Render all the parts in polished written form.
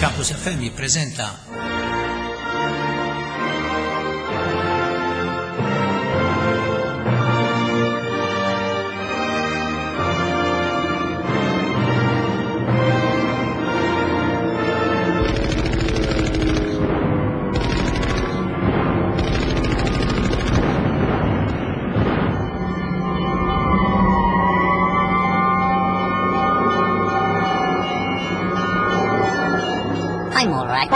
Campus FM jippreżenta I'm all right.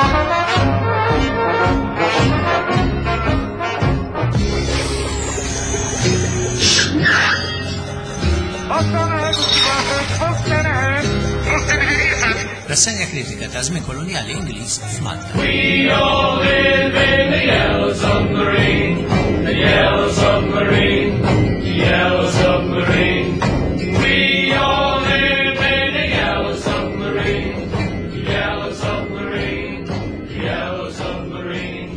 Rassegna kritika ta' żmien kolonjali Ingliż f'Malta. We all live in the yellow submarine, the yellow submarine, the yellow submarine. We all live in the yellow submarine, the yellow submarine, the yellow submarine.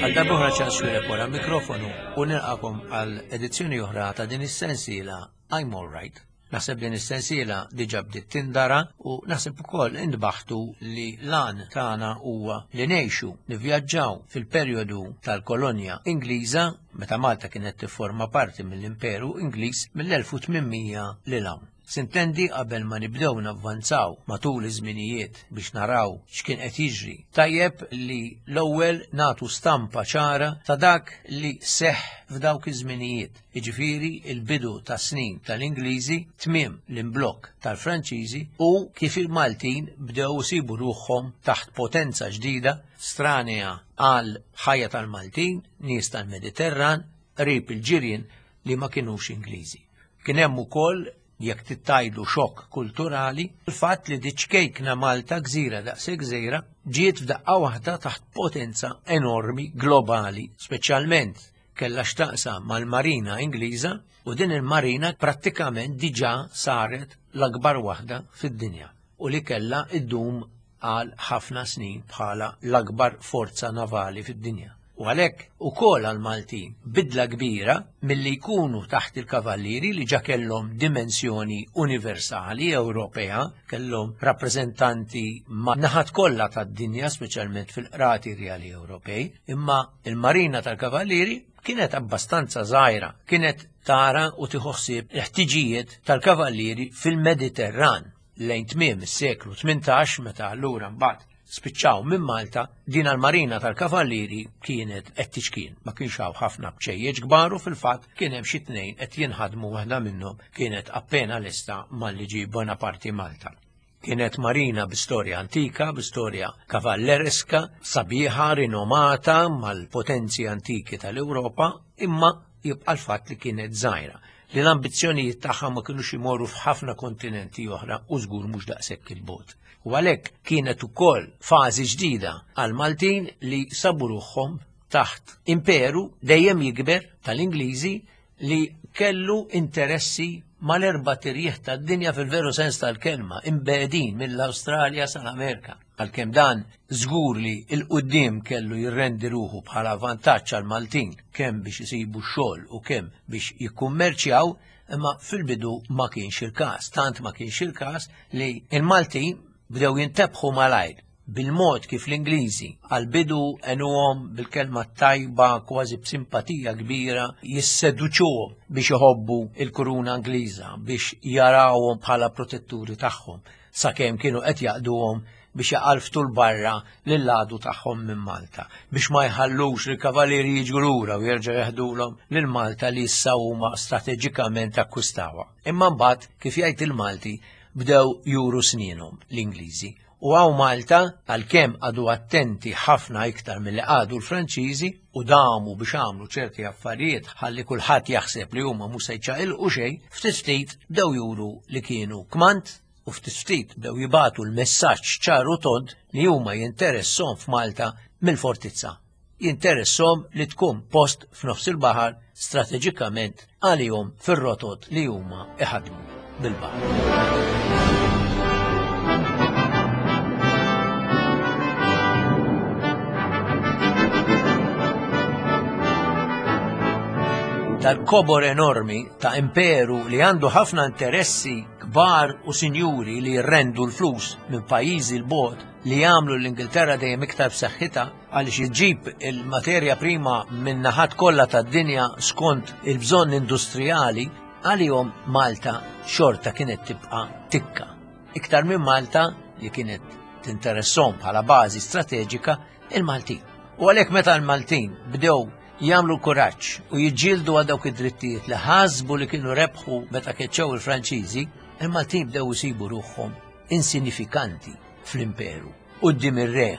Għal darbohra ċans xwirek wara mikrofonu u nilqakom għal edizzjoni oħra ta' din is-sensiela I'm All Right. Naħseb din is-sensiela diġà bdiet tindara u naħseb ukoll intbaħtu li l-għan tagħna huwa li ngħixu, nivvjaġġaw fil-perjodu tal-kolonja Ingliża meta Malta kienet tifforma parti mill-Imperu Ingliż mill-1800 lil hawn. Sintendi qabel ma nibdew navvanzaw matul iż-żminijiet biex naraw x'kien qed jiġri, tajjeb li l-ewwel nagħtu stampa ċara ta' dak li seħħ f'dawk iż-żminijiet, jiġifieri l-bidu tas-snin tal-Ingliżi, tmiem l-imblokk tal-Franċiżi u kif il-Maltin bdew isibu ruħhom taħt potenza ġdida stranea għal ħajja tal-Maltin, nies tal-Mediterran, qrib il-ġirien li ma kinux Ingliżi. Kien hemm ukoll, jekk tittajlu xokk kulturali, il-fatt li diċ-ċkejkna Malta, gżira daqshekk żgħira, ġiet f'daqqa waħda taħt potenza enormi globali, speċjalment kellha x'taqsam mal-Marina Ingliża u din il-marina prattikament diġà saret l-akbar waħda fid-dinja u li kellha ddum għal ħafna snin bħala l-akbar forza navali fid-dinja. U għalhekk ukoll għall-Maltin bidla kbira milli jkunu taħt il-Kavallieri li ġa kellhom dimensjoni universali Ewropea, kellhom rappreżentanti ma' naħat kollha tad-dinja, speċjalment fil-qrati rjali Ewropej, imma il-Marina tal-Kavallieri kienet abbastanza żgħira, kienet tara u tieħu ħsieb il-ħtiġijiet tal-Kavallieri fil-Mediterran. Lejn tmiem is-seklu 18 meta allura mbagħad spiċċaw minn Malta, din l-Marina tal-Kavallieri kienet qed tiċkien. Ma kienx hawn ħafna bċejjeġ kbar u fil-fatt kien hemm xi tnejn qed jinħadmu waħda minnhom kienet appena lesta malli ġie Bonaparte Malta. Kienet marina bi storja antika, bi storja kavallereska, sabiħa, rinomata mal-potenzi antiki tal-Ewropa, imma jibqa' l-fatt li kienet żgħira, li l-ambizzjonijiet tagħha ma kinux imorru f'ħafna kontinenti oħra u żgur mhux daqshekk il-bogħod. U għalhekk kienet ukoll fażi ġdida għall-Maltin li sabu ruħhom taħt imperu dejjem jikber tal-Ingliżi li kellu interessi mal-erba' tirjieħ tad-dinja fil-veru sens tal-kelma, imbegħdin mill-Awstralja sal-Amerika. Għalkemm dan żgur li 'l quddiem kellu jirrendi ruħu bħala vantaġġ għall-Maltin kemm biex isibu x-xogħol u kemm biex jikkummerċjaw, imma fil-bidu ma kienx il-każ. Tant ma kienx il-każ li l-Maltin bdew jintebħu malajr bil-mod kif l-Ingliżi għall-bidu għenuhom bil-kelma t-tajba kważi b'simpatija kbira jisseduċuhom biex iħobbu l-kuruna Ingliża, biex jarawhom bħala protetturi tagħhom. sakemm kienu qed jaqduhom biex jaqalftu 'l barra lill-għadu tagħhom minn Malta, biex ma jħallux lill-Kavalieri jiġu lura u jerġgħu jeħdulhom lil Malta li issa huma strateġikament akkwistawha. Imma mbagħad, kif jgħid il-Malti, bdew juru snienhom l-Ingliżi. U hawn Malta, għalkemm qagħdu attenti ħafna iktar milli qagħdu l-Franċiżi u damu biex għamlu ċerti affarijiet ħalli kulħadd jaħseb li huma mhux se jċaqilqu xejn, ftit ftit bdew juru li kienu kmand u ftit ftit bdew jibagħtu l-messaġġ ċar u tond li huma jinteresshom f'Malta mill-fortizza. Jinteresshom li tkun post f'nofs il-baħar strateġikament għalihom fir-rotot li huma iħaddmu bil-baħar. Dal-kobor enormi ta' imperu li għandu ħafna interessi kbar u sinjuri li jirrendu l-flus minn pajjiżi l-bogħod. li jagħmlu l-Ingilterra dejjem iktar b'saħħitha għaliex iġġib il-materja prima minn naħat kollha tad-dinja skont il-bżonn industrijali, għalihom Malta xorta kienet tibqa' tikka. Iktar minn Malta li kienet tinteressom bħala bażi strateġika il-Maltin. U għalhekk meta l-Maltin bdew jagħmlu kuraġġ u jiġġieldu għal dawk id-drittijiet li ħasbu li kienu rebħu meta keċċew il-Franċiżi, il-Maltin bdew isibu ruħhom insinifikanti fl-imperu quddiem ir-re.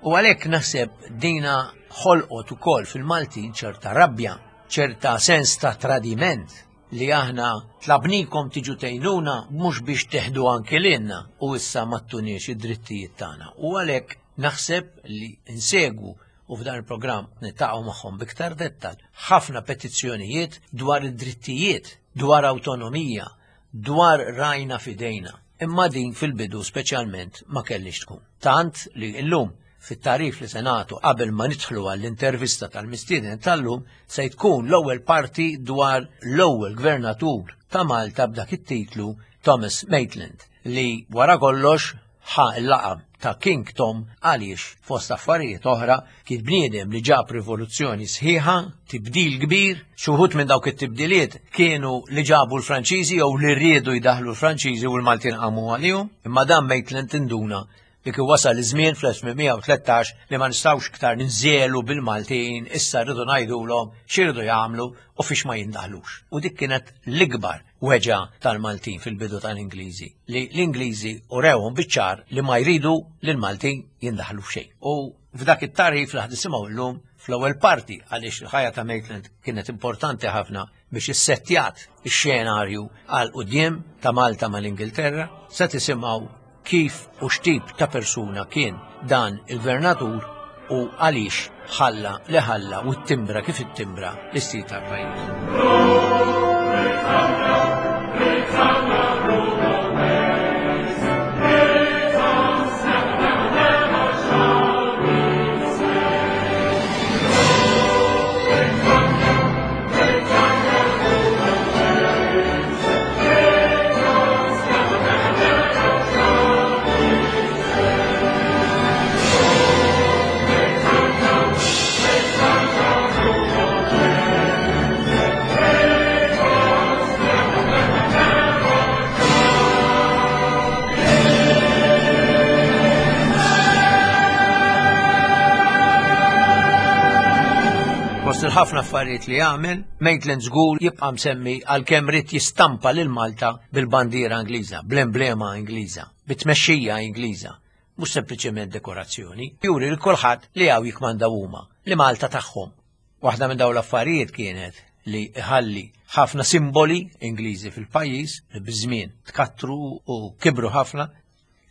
U għalhekk naħseb dina ħolqot ukoll fil-Maltin ċerta rabja, ċerta sens ta' tradiment li aħna tlabnikom tiġu tgħinuna mhux biex teħdu anki lilna u issa ma ttuniex id-drittijiet tagħna. U għalhekk naħseb li insegwu u f'dan il-programm niltaqgħu magħhom biktar dettal ħafna petizzjonijiet dwar id-drittijiet, dwar awtonomija, dwar rajna f'idejna. Imma din fil-bidu speċjalment ma kellix tkun. Tant li llum fit-tagħrif li se nagħtu qabel ma nidħlu għall-intervista tal-mistieden tal-lum se tkun l-ewwel parti dwar l-ewwel gvernatur ta' Malta b'dak it-titlu Thomas Maitland li wara kollox ħa l-laqam ta' King Tom għaliex fost affarijiet oħra kien bniedem li ġab rivoluzzjoni sħiħa, tibdil kbir, xi wħud minn dawk it-tibdiliet kienu li ġabu l-Franċiżi jew li riedu jdaħlu l-Franċiżi u l-Maltin qamu għalihom, imma dan Maitland induna li kien wasal iż-żmien fl-1813 li ma nistgħux iktar ninżelu bil-Maltin, issa rridu ngħidulhom x'iridu jagħmlu u fiex ma jindaħlux. U dik kienet l-ikbar weġgħa tal-Maltin fil-bidu tal-Ingliżi, li l-Ingliżi urewhom biċ-ċar li ma jridu li l-Maltin jindaħlu f'xejn. U f'dak it-tarif li ħdisimgħu llum fl-ewwel parti għaliex il-ħajja ta' Maitland kienet importanti ħafna biex issettjat ix-xenarju għal quddiem ta' Malta mal-Ingilterra, se tisimgħu kif u x'tip ta' persuna kien dan il-gvernatur u għaliex ħalla li ħalla u t-timbra kif it-timbra l-istil tal-pajjiż. Fost il-ħafna affarijiet li għamel, Maitland żgur jibqa' msemmi għalkemm ried jistampa lil Malta bil-bandiera Ingliża, bl-emblema Ingliża, bit-tmexxija Ingliża, mhux sempliċement dekorazzjoni, juri lil kulħadd li hawn jikkmandaw huma, li Malta tagħhom. Waħda minn dawn l-affarijiet kienet li iħalli ħafna simboli Ingliżi fil-pajjiż li biż-żmien tkattru u kibru ħafna.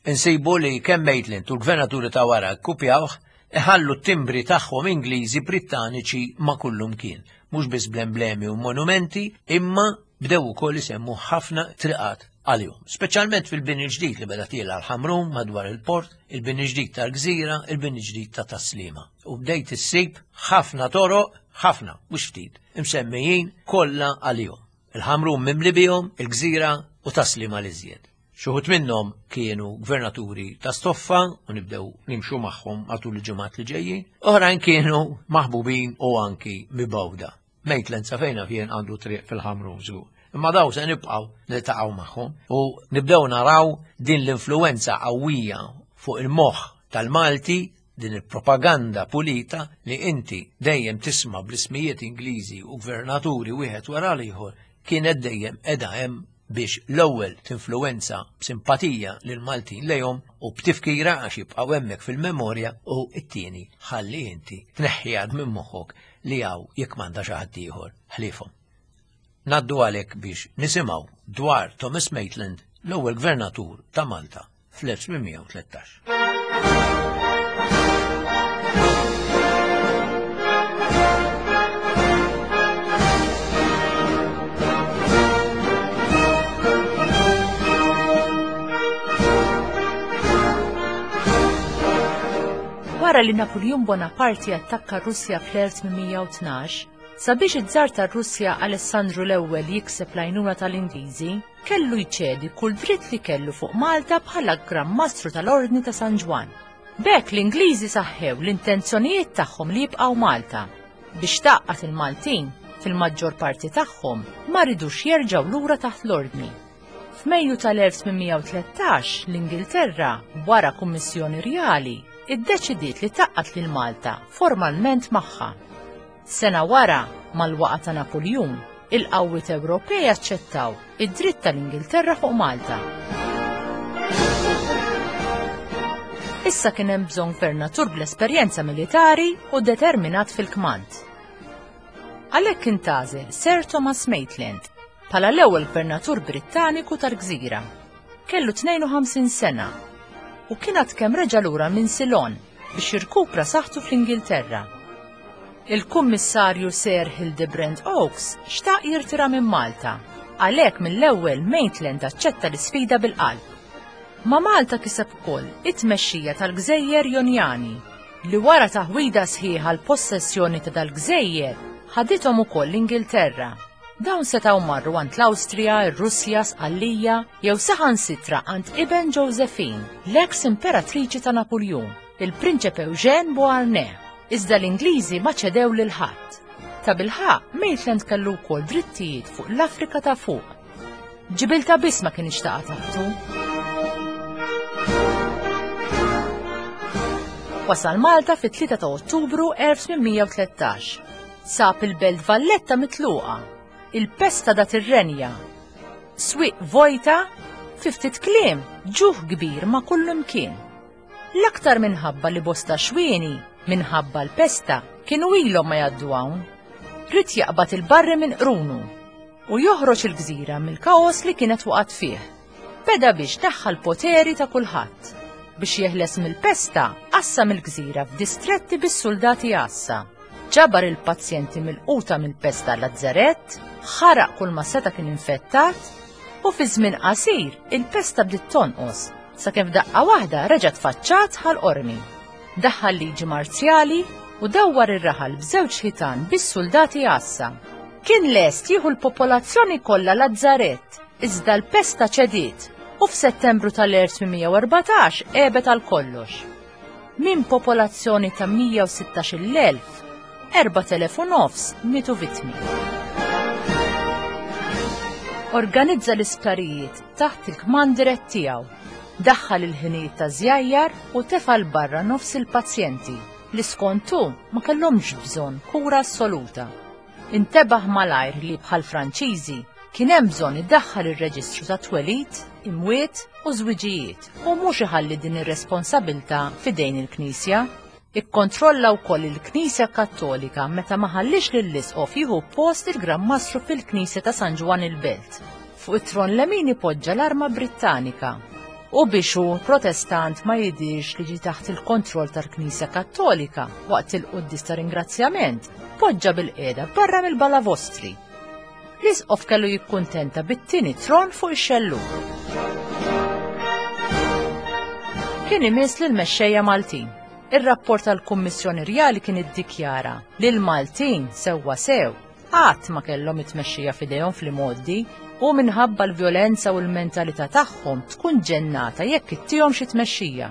Insibu li kemm Maitland u l-gvernaturi ta' wara kkupjawh, iħallu t-timbri tagħhom Ingliżi Brittaniċi ma' kullumkien, mhux biss bl-emblemi u monumenti, imma bdew ukoll isemmu ħafna triqat għalihom, speċjalment fil-bini ġdid li beda tiela l-Ħamrun madwar il-port, il-bini ġdid tal-Gżira, il-bini ġdid ta' Tas-Sliema. U bdejt issib ħafna toroq, ħafna, mhux ftit, imsemmijin kollha għalihom. Il-Ħamrun mimli bihom, il-Gżira u Tas-Sliema l-iżjed. Xi wħud minnhom kienu gvernaturi ta' stoffa u nibdew nimxu magħhom matul il-ġimgħat li ġejjin, oħrajn kienu maħbubin u anki mibgħuda. Maitland sa fejna fien għandu triq fil-Ħamrun żgur. Imma daw se nibqgħu niltaqgħu magħhom u nibdew naraw din l-influenza qawwija fuq il-moħħ tal-Malti din il-propaganda pulita li inti dejjem tisma' bl-ismijiet Ingliżi u gvernaturi wieħed wara l-ieħor kienet dejjem qiegħda hemm biex l-ewwel tinfluwenza b'simpatija lil Maltin lejhom u b'tifkira għax jibqgħu hemmhekk fil-memorja u t-tieni ħalli inti tneħħi għad minn moħħok li hawn jekk m'għandha xi ħadd ieħor ħliefhom. Ngħaddu għalhekk biex nisimgħu dwar Thomas Maitland, l-ewwel gvernatur ta' Malta fl-1813. Wara li Napuljun Bonaparte attakka r-Russja fl-1812, sabiex iż-żar tar-Russja Alessandru l-Ewwel jikseb l-għajnuna tal-Ingliżi, kellu jċedi kull dritt li kellu fuq Malta bħala Gran Mastru tal-Ordni ta' San Ġwann. B'hekk l-Ingliżi saħħew l-intenzjonijiet tagħhom li jibqgħu Malta. Biex tgħaqqad il-Maltin, fil-maġġor parti tagħhom, ma ridux jerġgħu lura taħt l-Ordni. F'Mejju tal-1813, l-Ingilterra, wara kummissjoni rjali, iddeċidiet li tgħaqqad lil Malta formalment magħha. Sena wara, mal-waqgħa ta' Napuljun, il-qawwiet Ewropej aċċettaw id-dritt tal-Ingilterra fuq Malta. Issa kien hemm bżonn gvernatur bl-esperjenza militari u determinat fil-kmand. Għalhekk intgħażel Sir Thomas Maitland bħala l-ewwel gvernatur Brittaniku tal-gżira. Kellu 52 sena u kien għad kemm reġa' lura minn Ceylon biex jirkupra saħħtu fl-Ingilterra. Il-Kummissarju Sir Hildebrand Oakes xtaq jirtira minn Malta, għalhekk mill-ewwel Maitland aċċetta l-isfida bil-qalb. Ma' Malta kiseb ukoll it-tmexxija tal-Gżejjer Jonjani, li wara taħwida sħiħa l-possessjoni ta' dal-gżejjer ħadithom ukoll l-Ingilterra. Dawn setgħu marru għand l-Awstrija, ir-Russja, Sqallija, jew saħansitra għand iben Josephine, l-eks imperatriċi ta' Napuljun, il-Prinċep Eugène Beauharnais. Iżda l-Ingliżi ma ċedew lil ħadd. Tabilħaqq, Maitland kellu wkoll drittijiet fuq l-Afrika ta' Fuq. Ġibilta biss ma kienx taqa' taħtu. Wasal Malta fit-3 ta' Ottubru 1813. Sab il-Belt Valletta mitluqa, il-pesta dat ir-renja, swieq vojta, fi ftit kliem, ġuħ kbir ma' kullimkien. L-aktar minħabba li bosta xwieni, minħabba l-pesta, kienu ilhom ma jgħaddu hawn. Ried jaqbad il-barri minn qrunu u joħroġ il-gżira mill-kaos li kienet waqgħet fih. Beda biex neħħa l-poteri ta' kulħadd. Biex jeħles mill-pesta, qassam il-gżira f'distretti bis-suldati għassa. Ġabar il-pazjenti milquta mill-pesta lazzarett, ħaraq kull ma seta' kien infettat, u fi żmien qasir il-pesta bdiet tonqos sakemm f'daqqa waħda reġgħet tfaċċat Ħal Qormi. Daħħal liġi marzjali u dawwar ir-raħal b'żewġ ħitan bis-suldati għassa. Kien lest jieħu l-popolazzjoni kollha lazzarett, iżda l-pesta ċediet u f'Settembru tal-1814 għebet għal kollox. Minn popolazzjoni ta' 116,000, 4,000 u nofs mietu vittmi. Organizza l-isptarijiet taħt il-kmand dirett tiegħu, daħħal il-ħinijiet ta' żjajjar u tefa' 'l barra nofs il-pazjenti li skont hu ma kellhomx bżonn kura assoluta. Intebaħ malajr li bħall-Franċiżi kien hemm bżonn idaħħal ir-reġistru ta' twelid, imwiet u żwiġijiet u mhux iħalli din ir-responsabilità f'idejn il-Knisja. Ikkontrolla wkoll il-Knisja Kattolika meta ma ħalliex lill-Isqof jieħu post il-Gran Mastru fil-Knisja ta' San Ġwann il-Belt. Fuq it-tron lemini poġġa l-arma Brittanika. U biex hu Protestant ma jidhirx li ġie taħt il-kontroll tal-Knisja Kattolika waqt il-quddies ta' ringrazzjament, poġġa bilqiegħda barra mill-balavostri. L-Isqof kellu jikkuntenta bit-tieni tron fuq ix-xellug. Kien imiss lill-mexxejja Maltin. Ir-rapport tal-Kummissjoni Rjali kien iddikjara li l-Maltin sewwa sew qatt ma kellhom it-tmexxija f'idejhom fl-imgħoddi u minħabba l-vjolenza u l-mentalità tagħhom tkun ġennata jekk ittihom xi tmexxija.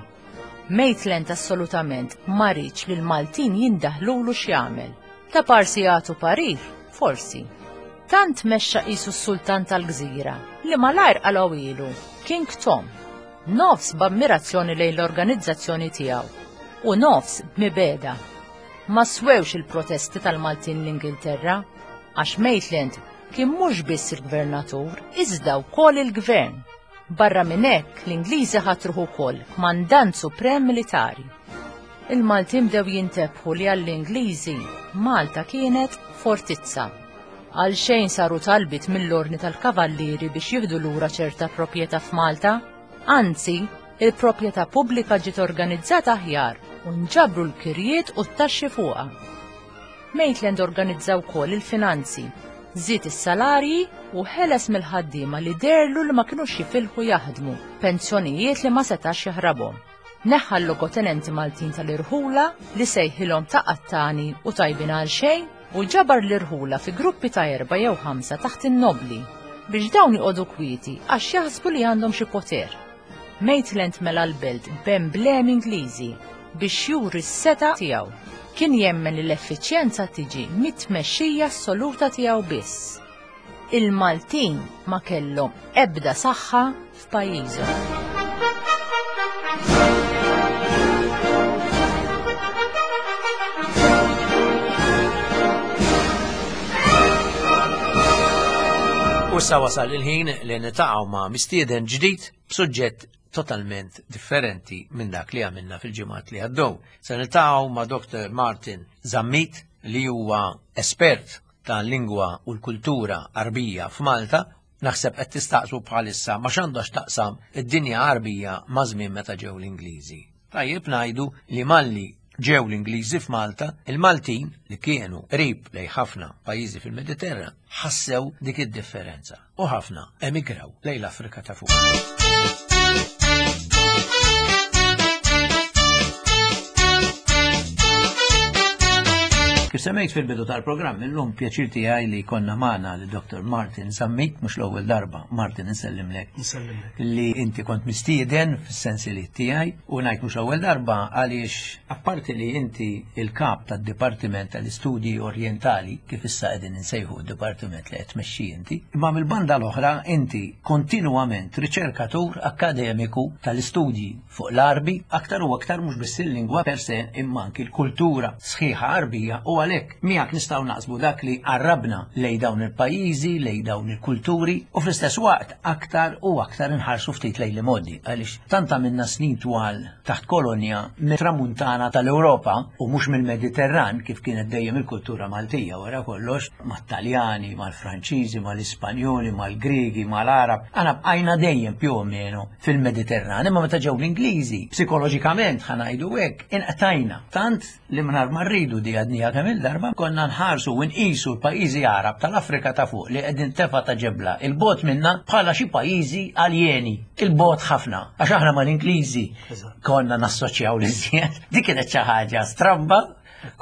Maitland assolutament ma riedx li l-Maltin jindaħlulu x'jagħmel. Ta' parsi jagħtu parir, forsi. Tant mexxa qisu s-sultan tal-gżira li malajr qalgħuhielu King Tom. Nofs b'ammirazzjoni lejn l-organizzazzjoni tiegħu u nofs b'mibegħda. Ma swewx il-protesti tal-Maltin l-Ingilterra għax Maitland kien mhux biss il-gvernatur iżda wkoll il-gvern. Barra minn hekk, l-Ingliżi ħatruh ukoll kmandant suprem militari. Il-Maltin bdew jintebħu li għall-Ingliżi Malta kienet fortizza. Għal xejn saru talbiet mill-Ordni tal-Kavallieri biex jieħdu lura ċerta proprjetà f'Malta, anzi, il-proprjetà pubblika ġiet organizzata aħjar u nġabru l-kirjiet u t-taxxi fuqha. Maitland organizza wkoll il-finanzi, żied is-salarji u ħeles mill-ħaddiema li deherlu li ma kinux jifilħu jaħdmu, pensjonijiet li ma setax jaħrabhom. Neħħa l-logotenenti Maltin tal-irħula li sejħilhom ta' qattani u tajbin għal xejn u ġabar l-irħula fi gruppi ta' erbgħa jew ħamsa taħt in-nobbli biex dawn joqogħdu kwieti għax jaħsbu li għandhom xi poter. Maitland mela l-belt b'emblemi Ingliżi. biex juri s-setgħa tiegħu. Kien jemmen li l-effiċjenza tiġi mit-tmexxija assoluta tiegħu biss. Il-Maltin ma kellhom ebda saħħa f'pajjiżhom. U issa wasal il-ħin li nitaqgħu ma' mistieden ġdid b'suġġett totalment differenti minn dak li għamilna fil-ġimgħat li għaddew. Se niltaqgħu ma' Dr. Martin Zammit li huwa espert tal-lingwa u l-kultura Għarbija f'Malta, naħseb qed tistaqsu bħalissa ma x'għandha x'taqsam id-dinja Għarbija ma' żmien meta ġew l-Ingliżi. Tajjeb ngħidu li malli ġew l-Ingliżi f'Malta, il-Maltin li kienu qrib lejn ħafna pajjiżi fil-Mediterran ħassew dik id-differenza u ħafna emigraw lejn l-Afrika ta' fuq. Kif semmejt fil-bidu tal-programm, illum pjaċir tiegħi li konna magħna li Dr. Martin Sammit, mhux l-ewwel darba, Martin insellimlek. Insellimlek. Li inti kont mistieden fis-sensiliet tiegħi u ngħid mhux l-ewwel darba għaliex apparti li inti il-kap tad-Dipartiment tal-Istudji Orjentali, kif issa qegħdin insejħu d-dipartiment li qed tmexxi inti, imma mill-banda l-oħra inti kontinwament riċerkatur akkademiku tal-istudji fuq l-Għarbi, aktar u aktar mhux biss il-lingwa per se imma anki l-kultura sħiħa Għarbija u għalhekk miegħek nistgħu naqsmu dak li qarrabna lejn dawn il-pajjiżi, lejn dawn il-kulturi u fl-istess waqt aktar u aktar inħarsu ftit lejn l-imgħoddi għaliex tant għamilna snin twal taħt kolonja mit-tramuntana tal-Ewropa u mhux mill-Mediterran kif kienet dejjem il-kultura Maltija wara kollox mat-Taljani, mal-Franċiżi, mal-Ispanjoli, mal-Griegi, mal-Għarab, aħna bqajna dejjem più o meno fil-Mediterran, imma meta ġew l-Ingliżi, psikoloġikament ħa ngħidu hekk, inqtajna. Tant li mingħajr ma rridu di għadniha kemm il-darba konna nħarsu u nqisu l-pajjiżi Għarab tal-Afrika ta' fuq li qegħdin tefa' ta' ġebla 'l bogħod minna bħala xi pajjiżi aljeni, 'il bogħod ħafna, għax aħna mal-Ingliżi konna nassoċjaw l-iżjed. Dik kienet xi ħaġa stramba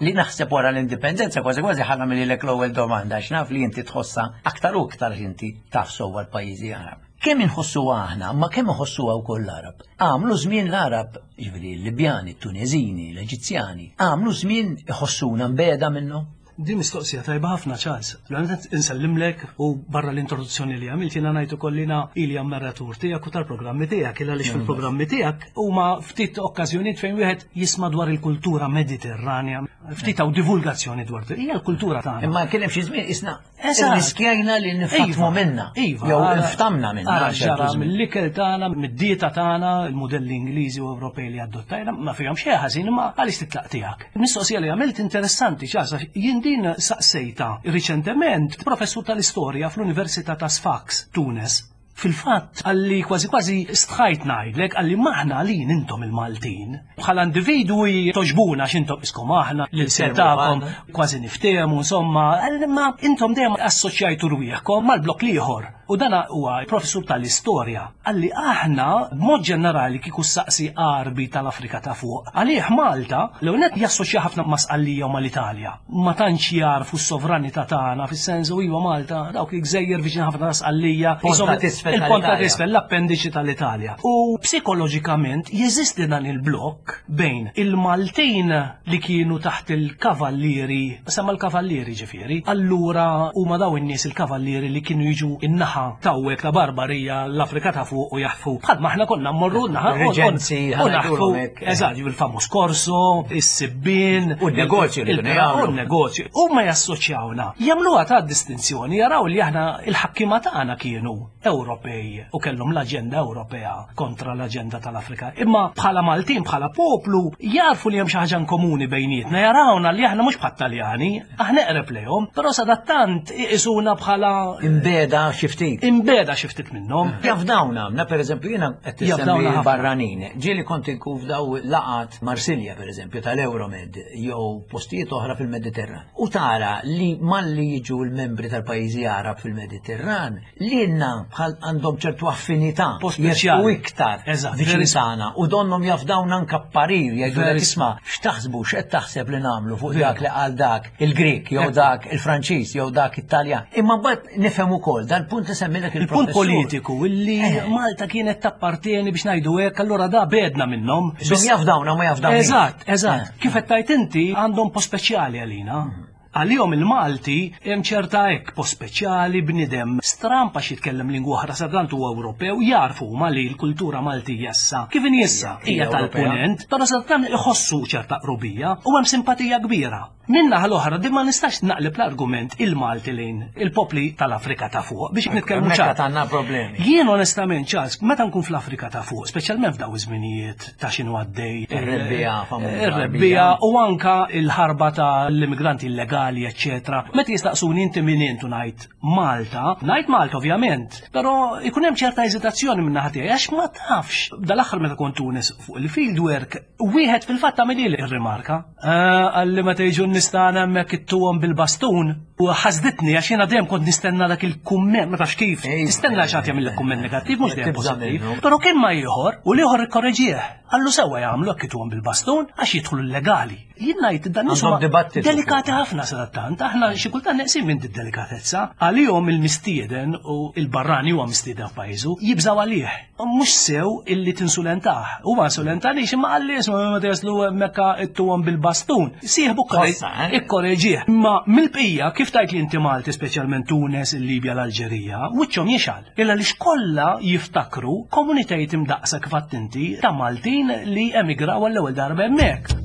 li naħseb wara l-indipendenza kważi kważi ħa nagħmililek l-ewwel domanda għax naf li inti tħossha aktar u aktar inti taf sewwa l-pajjiżi Għarab. Kemm inħossuha aħna, imma kemm iħossuha wkoll l-Għarab. Għamlu żmien l-Għarab, jiġifieri l-Libjani, t-Tuneżini, l-Eġizzjani, għamlu żmien iħossuna mbegħda minnhom? Din mistoqsija tajba ħafna, Charles. L-għanet insellimlek u barra l-introduzzjoni li għamilt jiena ngħid ukoll li ili ammiratur tiegħek u tal-programmi tiegħek, il għaliex fil-programmi tiegħek huma ftit okkażjonijiet fejn wieħed jisma' dwar il-kultura Mediterranja, ftit hawn divulgazzjoni dwar hija l-kultura tagħna. Imma kien hemm xi żmien isna Irriskjajna li nifatmu iva, minna. Iva. Jew niftamna minna. Ġara mill-ikel tagħna, mid-dieta tagħna, il-modelli Ingliżi u Ewropej li adottajna, ma fihom xejn ħażin imma għaliex titlaq tiegħek. Mistoqsija li għamilt interessanti ċasa, jien din saqsejta riċentement professur tal-istorja fl-Università ta' Sfax, Tunes. Fil-fatt, qalli kważi kważi stħajt ngħidlek, qalli m'aħna għalin intom il-Maltin. Bħala individwi toġbuna għax intom iskom aħna, l-ilsien tagħkom kważi niftehmu, insomma, qalli imma intom dejjem assoċjajtu rwieħkom mal-blokk l-ieħor. U dan huwa professur tal-istorja. Qalli aħna b'mod ġenerali kieku ssaqsi Għarbi tal-Afrika ta' fuq, għalih Malta l-ewwel nett jassoċja ħafna ma' Sqallija u mal-Italja. Ma tantx jagħrfu s-sovranità tagħna fis-sens u iva Malta dawk il-gżejjer viċin ħafna ta' Sqallija, il-ponta t'isfel, l-appendiċi tal-Italja. U psikoloġikament jeżisti dan il-blokk bejn il-Maltin li kienu taħt il-kavallieri, semma l-kavallieri ġifieri, allura huma daw in-nies il-kavallieri li kienu jiġu in-naħa tawwek ta' Barbarija l-Afrika ta' fuq u jaħfu. Bħal maħna konna mmorru naħa u naħfu. Eżatt, il-famuż Corso, is-sibbien. U n-negozju li kienu jagħmlu. U n-negozju. Huma jassoċjawna. Jagħmluha ta' distinzjoni, jaraw li aħna il-ħakkiema tagħna kienu Ewropej u kellhom l-aġenda Ewropea kontra l-aġenda tal-Afrika. Imma bħala Maltin, bħala poplu, jarfu li hemm xi ħaġa komuni bejnietna, jarawna li aħna mhux bħat-Taljani, aħna eqreb lejhom, però sadattant iqisuna bħala imbeda xi ftit. Imbeda xi ftit minnhom. Jafdawna, na pereżempju jiena qed tissemmi barranin. Ġieli kont inkun f'daw laqat Marsilja pereżempju tal-Euromed jew postijiet oħra fil-Mediterran. U tara li malli jiġu l-membri tal-pajjiżi Għarab fil-Mediterran, lilna bħal għandhom ċertu affinità u iktar viċin tagħna u donnhom jafdawna anke parir jgħidu isma' x'taħsbu x'qed taħseb li nagħmlu fuq dak li qal dak il-Grek jew dak il-Franċiż jew dak it-Taljan. Imma mbagħad nifhem ukoll dal-punt Kont insemmilek Il-punt il-professur. politiku illi Malta kienet tappartieni biex ngħidu hekk, allura da bedna minnhom. Biss jafdawna ma jafdawna. Eżatt, eżatt. Kif qed tajt inti għandhom post speċjali għalina. Għalihom il-Malti hemm ċerta hekk post speċjali bniedem stramp għax jitkellem lingwa oħra sadantant huwa Ewropew jarfu huma li l-kultura Maltija issa kif inhi issa hija Hija tal-punent, però sadantant iħossu ċerta qrubija u hemm simpatija kbira. Min-naħa l-oħra din ma nistax naqleb l-argument il-Malti lejn il-popli tal-Afrika ta' fuq biex nitkellmu Hemmhekk ċar. għad għandna problemi. Jien onestament, Charles, meta nkun fl-Afrika ta' fuq, speċjalment f'daw iż-żminijiet ta' x'inhu għaddej. Ir-rebbija famuża. Ir-rebbija u anka il-ħarba ta' l-immigranti illegali, eccetera. Meta jistaqsuni inti min int u ngħid Malta, ngħid Malta ovvjament, però ikun hemm ċerta eżitazzjoni minn naħa tiegħi għax ma tafx. Dal-aħħar meta kont Tunis fuq il-fieldwork, wieħed fil-fatt għamel ir-rimarka. Għalli meta jiġu n-nistana hemmhekk ittuhom bil-bastun u ħasditni għax jiena dejjem kont nistenna dak il-kumment, ma tafx kif. Ej, Tistenna xi ħadd jagħmel kumment negattiv mhux dejjem Tibża' pożittiv. minnu. Però kien ma ieħor u l-ieħor ikkorreġih. Għallu sewwa jagħmlu hekk ituhom bil-bastun għax jidħlu illegali. Jien ngħid dan nies Għandhom huma dibattitu delikati ħafna sadattant, aħna xi kultant neqsin minn din delikatezza. Għalihom il-mistieden u il-barrani huwa mistieden f'pajjiżu jibżaw għalih. Mhux sew illi tinsulentah. Huwa insulentanix imma qalli isma' meta jaslu hemmhekk ittuhom bil-bastun. Sieħbu Ħossa, eh? ikkoreġih. Ma mill-bqija kif tajt li inti Malti speċjalment Tunes, il-Libja, l-Alġerija, wiċċhom jixgħal. Illa li xkollha jiftakru komunitajiet imdaqsa kif għedt inti ta' Maltin li emigraw għall-ewwel darba hemmhekk.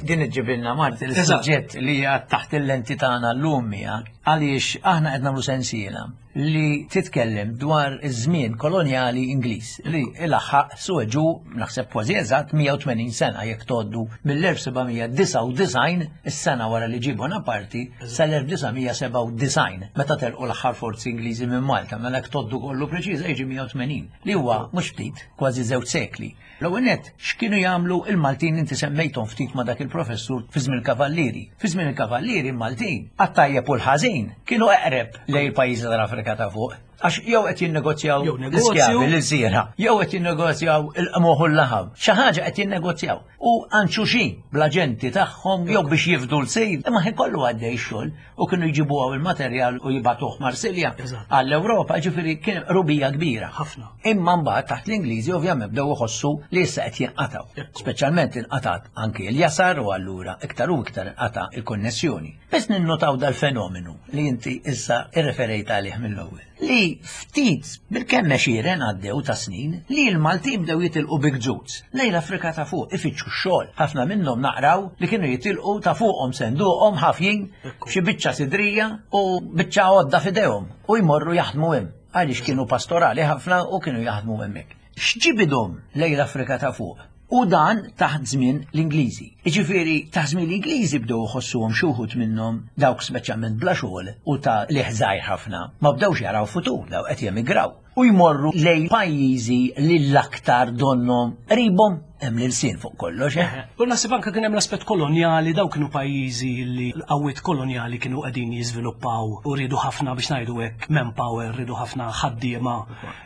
Din iġġibilna Marti Eżatt. l-suġġett li hija taħt il-lenti tagħna llum hija għaliex aħna qed nagħmlu sensiela li titkellem dwar iż-żmien kolonjali Ingliż li ilaħħaq sueġu naħseb kważi eżatt 180 sena jekk tgħoddu mill-1799 is-sena wara li ġie Bonaparte sal-1997 meta telqu l-aħħar forzi Ingliżi minn Malta mela jekk tgħoddu kollu preċiża jiġi 180 li huwa mhux ftit kważi żewġ sekli. L-ewwel nett, x'kienu jagħmlu il-Maltin inti semmejthom ftit ma' dak il-professur fi żmien il-Kavallieri. Fi żmien il-Kavallieri il-Maltin għat-tajjeb u l-ħażin kienu eqreb lejn il-pajjiżi tal-Afrika ta' fuq. Għax jew qed jinnegozjaw Jew negozju. l-iskjavi l-żiera, jew qed jinnegozjaw il-qmuħ u l-laħam. Xi ħaġa qed jinnegozjaw. U anxuxin bl-aġenti tagħhom jew biex jifdu l-sejl, imma ħin kollu għaddej xogħol u kienu jġibu hawn il-materjal u jibgħatuh Marsilja Eżatt. għall-Ewropa, ġifieri kien rubija kbira. Ħafna. Imma mbagħad taħt l-Ingliżi ovvjament bdew iħossu li issa qed jinqatgħu. Ekku. Speċjalment inqatgħat anki l-jasar u allura iktar u iktar inqata' il-konnessjoni. Biss ninnotaw dal-fenomenu li inti issa irreferejt għalih mill-ewwel. Li ftit bil-kemm għexieren għaddew ta' snin li l-Maltin bdew jitilqu big ġuds lejn l-Afrika ta' fuq ifittxu x-xogħol. Ħafna minnhom naqraw li kienu jitilqu ta' fuqhom senduqhom ħafjin Ekku. xi biċċa sidrija u biċċa għodda f'idejhom u jmorru jaħdmu hemm għaliex kienu pastorali ħafna u kienu jaħdmu hemmhekk. X'ġibidhom lejn l-Afrika ta' fuq? U dan taħt żmien l-Ingliżi. Jiġifieri taħt żmien l-Ingliżi bdew iħossuhom xi wħud minnhom dawk speċjalment bla xogħol u ta' li żgħir ħafna. Ma bdewx jaraw futur daw qed jemigraw u jmorru lejn pajjiżi li l-aktar donhom qribhom hemm l-ilsien fuq kollox. eh? U naħseb anke kien hemm l-aspett kolonjali, daw kienu pajjiżi li l-qawwiet kolonjali kienu qegħdin jiżviluppaw u rridu ħafna biex ngħidu hekk manpower, rridu ħafna ħaddiema.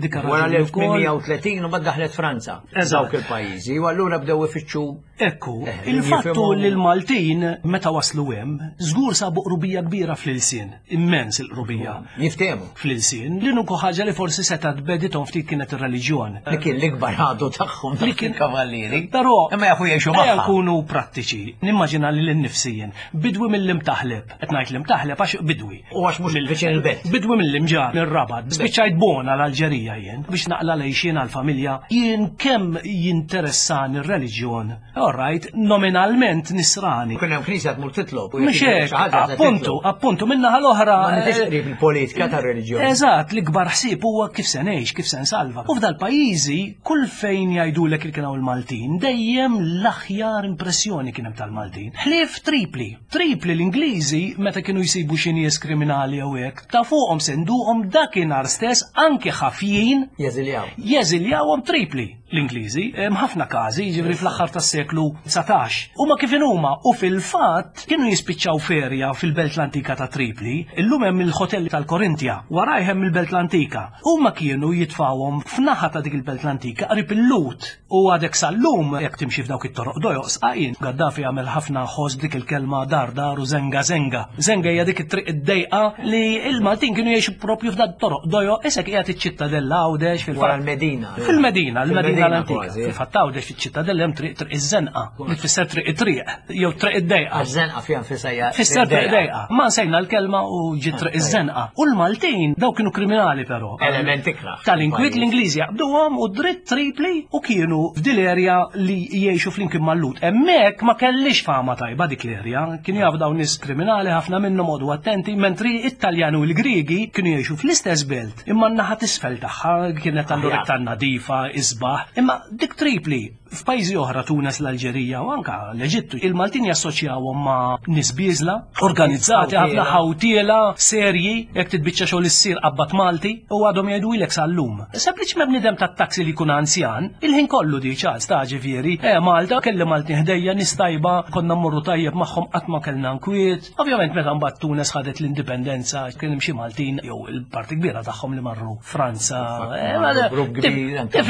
Dik Wara ir-raġuni wkoll. l-1830 u bad daħlet Franza. Eżatt. Dawk il-pajjiżi u allura bdew ifittxu Ekku, Eh, il-fattu jifhmu- li l-Maltin meta waslu hemm, żgur sabu qrubija kbira fl-ilsien, immens il-qrubija jiftehmu. fl-ilsien, li nuku ħaġa li forsi setgħet bedithom ftit kienet ir-reliġjon. Li kien l-ikbar ħadu tagħhom Li kien- kavallieri. Però Imma jafu jgħixu Ejja magħha. nkunu prattiċi. Nimmaġina li l-nifsijien. Bidwi mill-imtaħleb. Qed ngħid l-imtaħleb għax bidwi. U għax mhux viċin il-belt. Bidwi mill-imġar, mill-rabat. Spiċċajt bona l-Alġerija jien biex naqla lejxin għal-familja. Jien kemm jinteressani r-reliġjon. All right, nominalment nisrani. Kien hemm knisja tmur titlob. u jekk Mhux jiġri hekk, xi ħaġa se appuntu, titlob. appuntu, minnaħa l-oħra. Ma nitix qrib il-politika tar-reliġjon. Eżatt, l-ikbar ħsieb huwa kif se ngħix, kif se nsalva. U f'dal pajjiżi kull fejn jgħidulek li kien hawn il-Maltin, dejjem l-aħjar impressjoni kien hemm tal-Maltin. Ħlief Tripli. Tripli l-Ingliżi meta kienu jsibu xi nies kriminali jew hekk, ta' fuqhom senduqhom dakinhar stess anke ħafjin Jeżiljaw. jeżiljawhom Tripli l-Ingliżi, hemm ħafna każi, jiġifieri fl-aħħar tas-seklu 19. Huma kif huma u fil-fatt kienu jispiċċaw ferja fil-Belt l-Antika ta' Tripli, illum hemm il-ħotel tal-Korintja, waraj hemm il-Belt l-Antika. Huma kienu jitfawhom f'naħa ta' dik il-belt l-antika qrib il-Lut u għadek sal-lum jekk timxi f'dawk it-toroq dojoq sqaqin. Gaddafi għamel ħafna ħoss dik il-kelma dar dar u zenga zenga. Zenga hija dik it-triq id-dejqa li il-Maltin kienu jgħixu propju f'dak toroq dojoq isek qiegħed iċ-ċittadella Għawdex fil-fatt. Wara l-Medina. Fil-Medina, l-Medina l-antika. Fil-fatt Għawdex fiċ-ċittadella hemm triq triq iż-żenqa li tfisser triq it-triq jew triq id-dejqa. Għaż-żenqa fiha nfisha hija. Fisser triq dejqa. Ma nsejna l-kelma u ġiet triq iż-żenqa. U l-Maltin daw kienu kriminali però. Element ikrah. Tal-inkwiet l-Ingliżi jaqbduhom u dritt tripli u kienu f'dil erja li jgħixu flimkien mal-Lut. Hemmhekk ma kellix fama tajba dik l-erja, kienu jafu dawn nies kriminali ħafna minnhom għodu attenti, mentri it-Taljani u l-Griegi kienu jgħixu fl-istess belt imma n-naħa t'isfel tagħha kienet allura iktar nadifa, isbaħ. Imma dik Tripli F'pajjiżi oħra, Tunes, l-Alġerija u anka l-Eġittu, il-Maltin jassoċjawhom ma' nies bieżla, organizzati ħafna ħawtiela, serji, jekk titbiċċa xogħol issir qabbat Malti u għadhom jgħidu ilek sal-lum. Sempliċement bniedem tat-taxi li jkun anzjan, il-ħin kollu di ċans ta' ġifieri, eh Malta, kelli Maltin ħdejja, nies tajba, konna mmorru tajjeb magħhom qatt ma kellna nkwiet. Ovvjament meta mbagħad Tunes ħadet l-indipendenza kien hemm xi Maltin jew il-parti kbira tagħhom li marru Franza. Eh, grupp kbir anke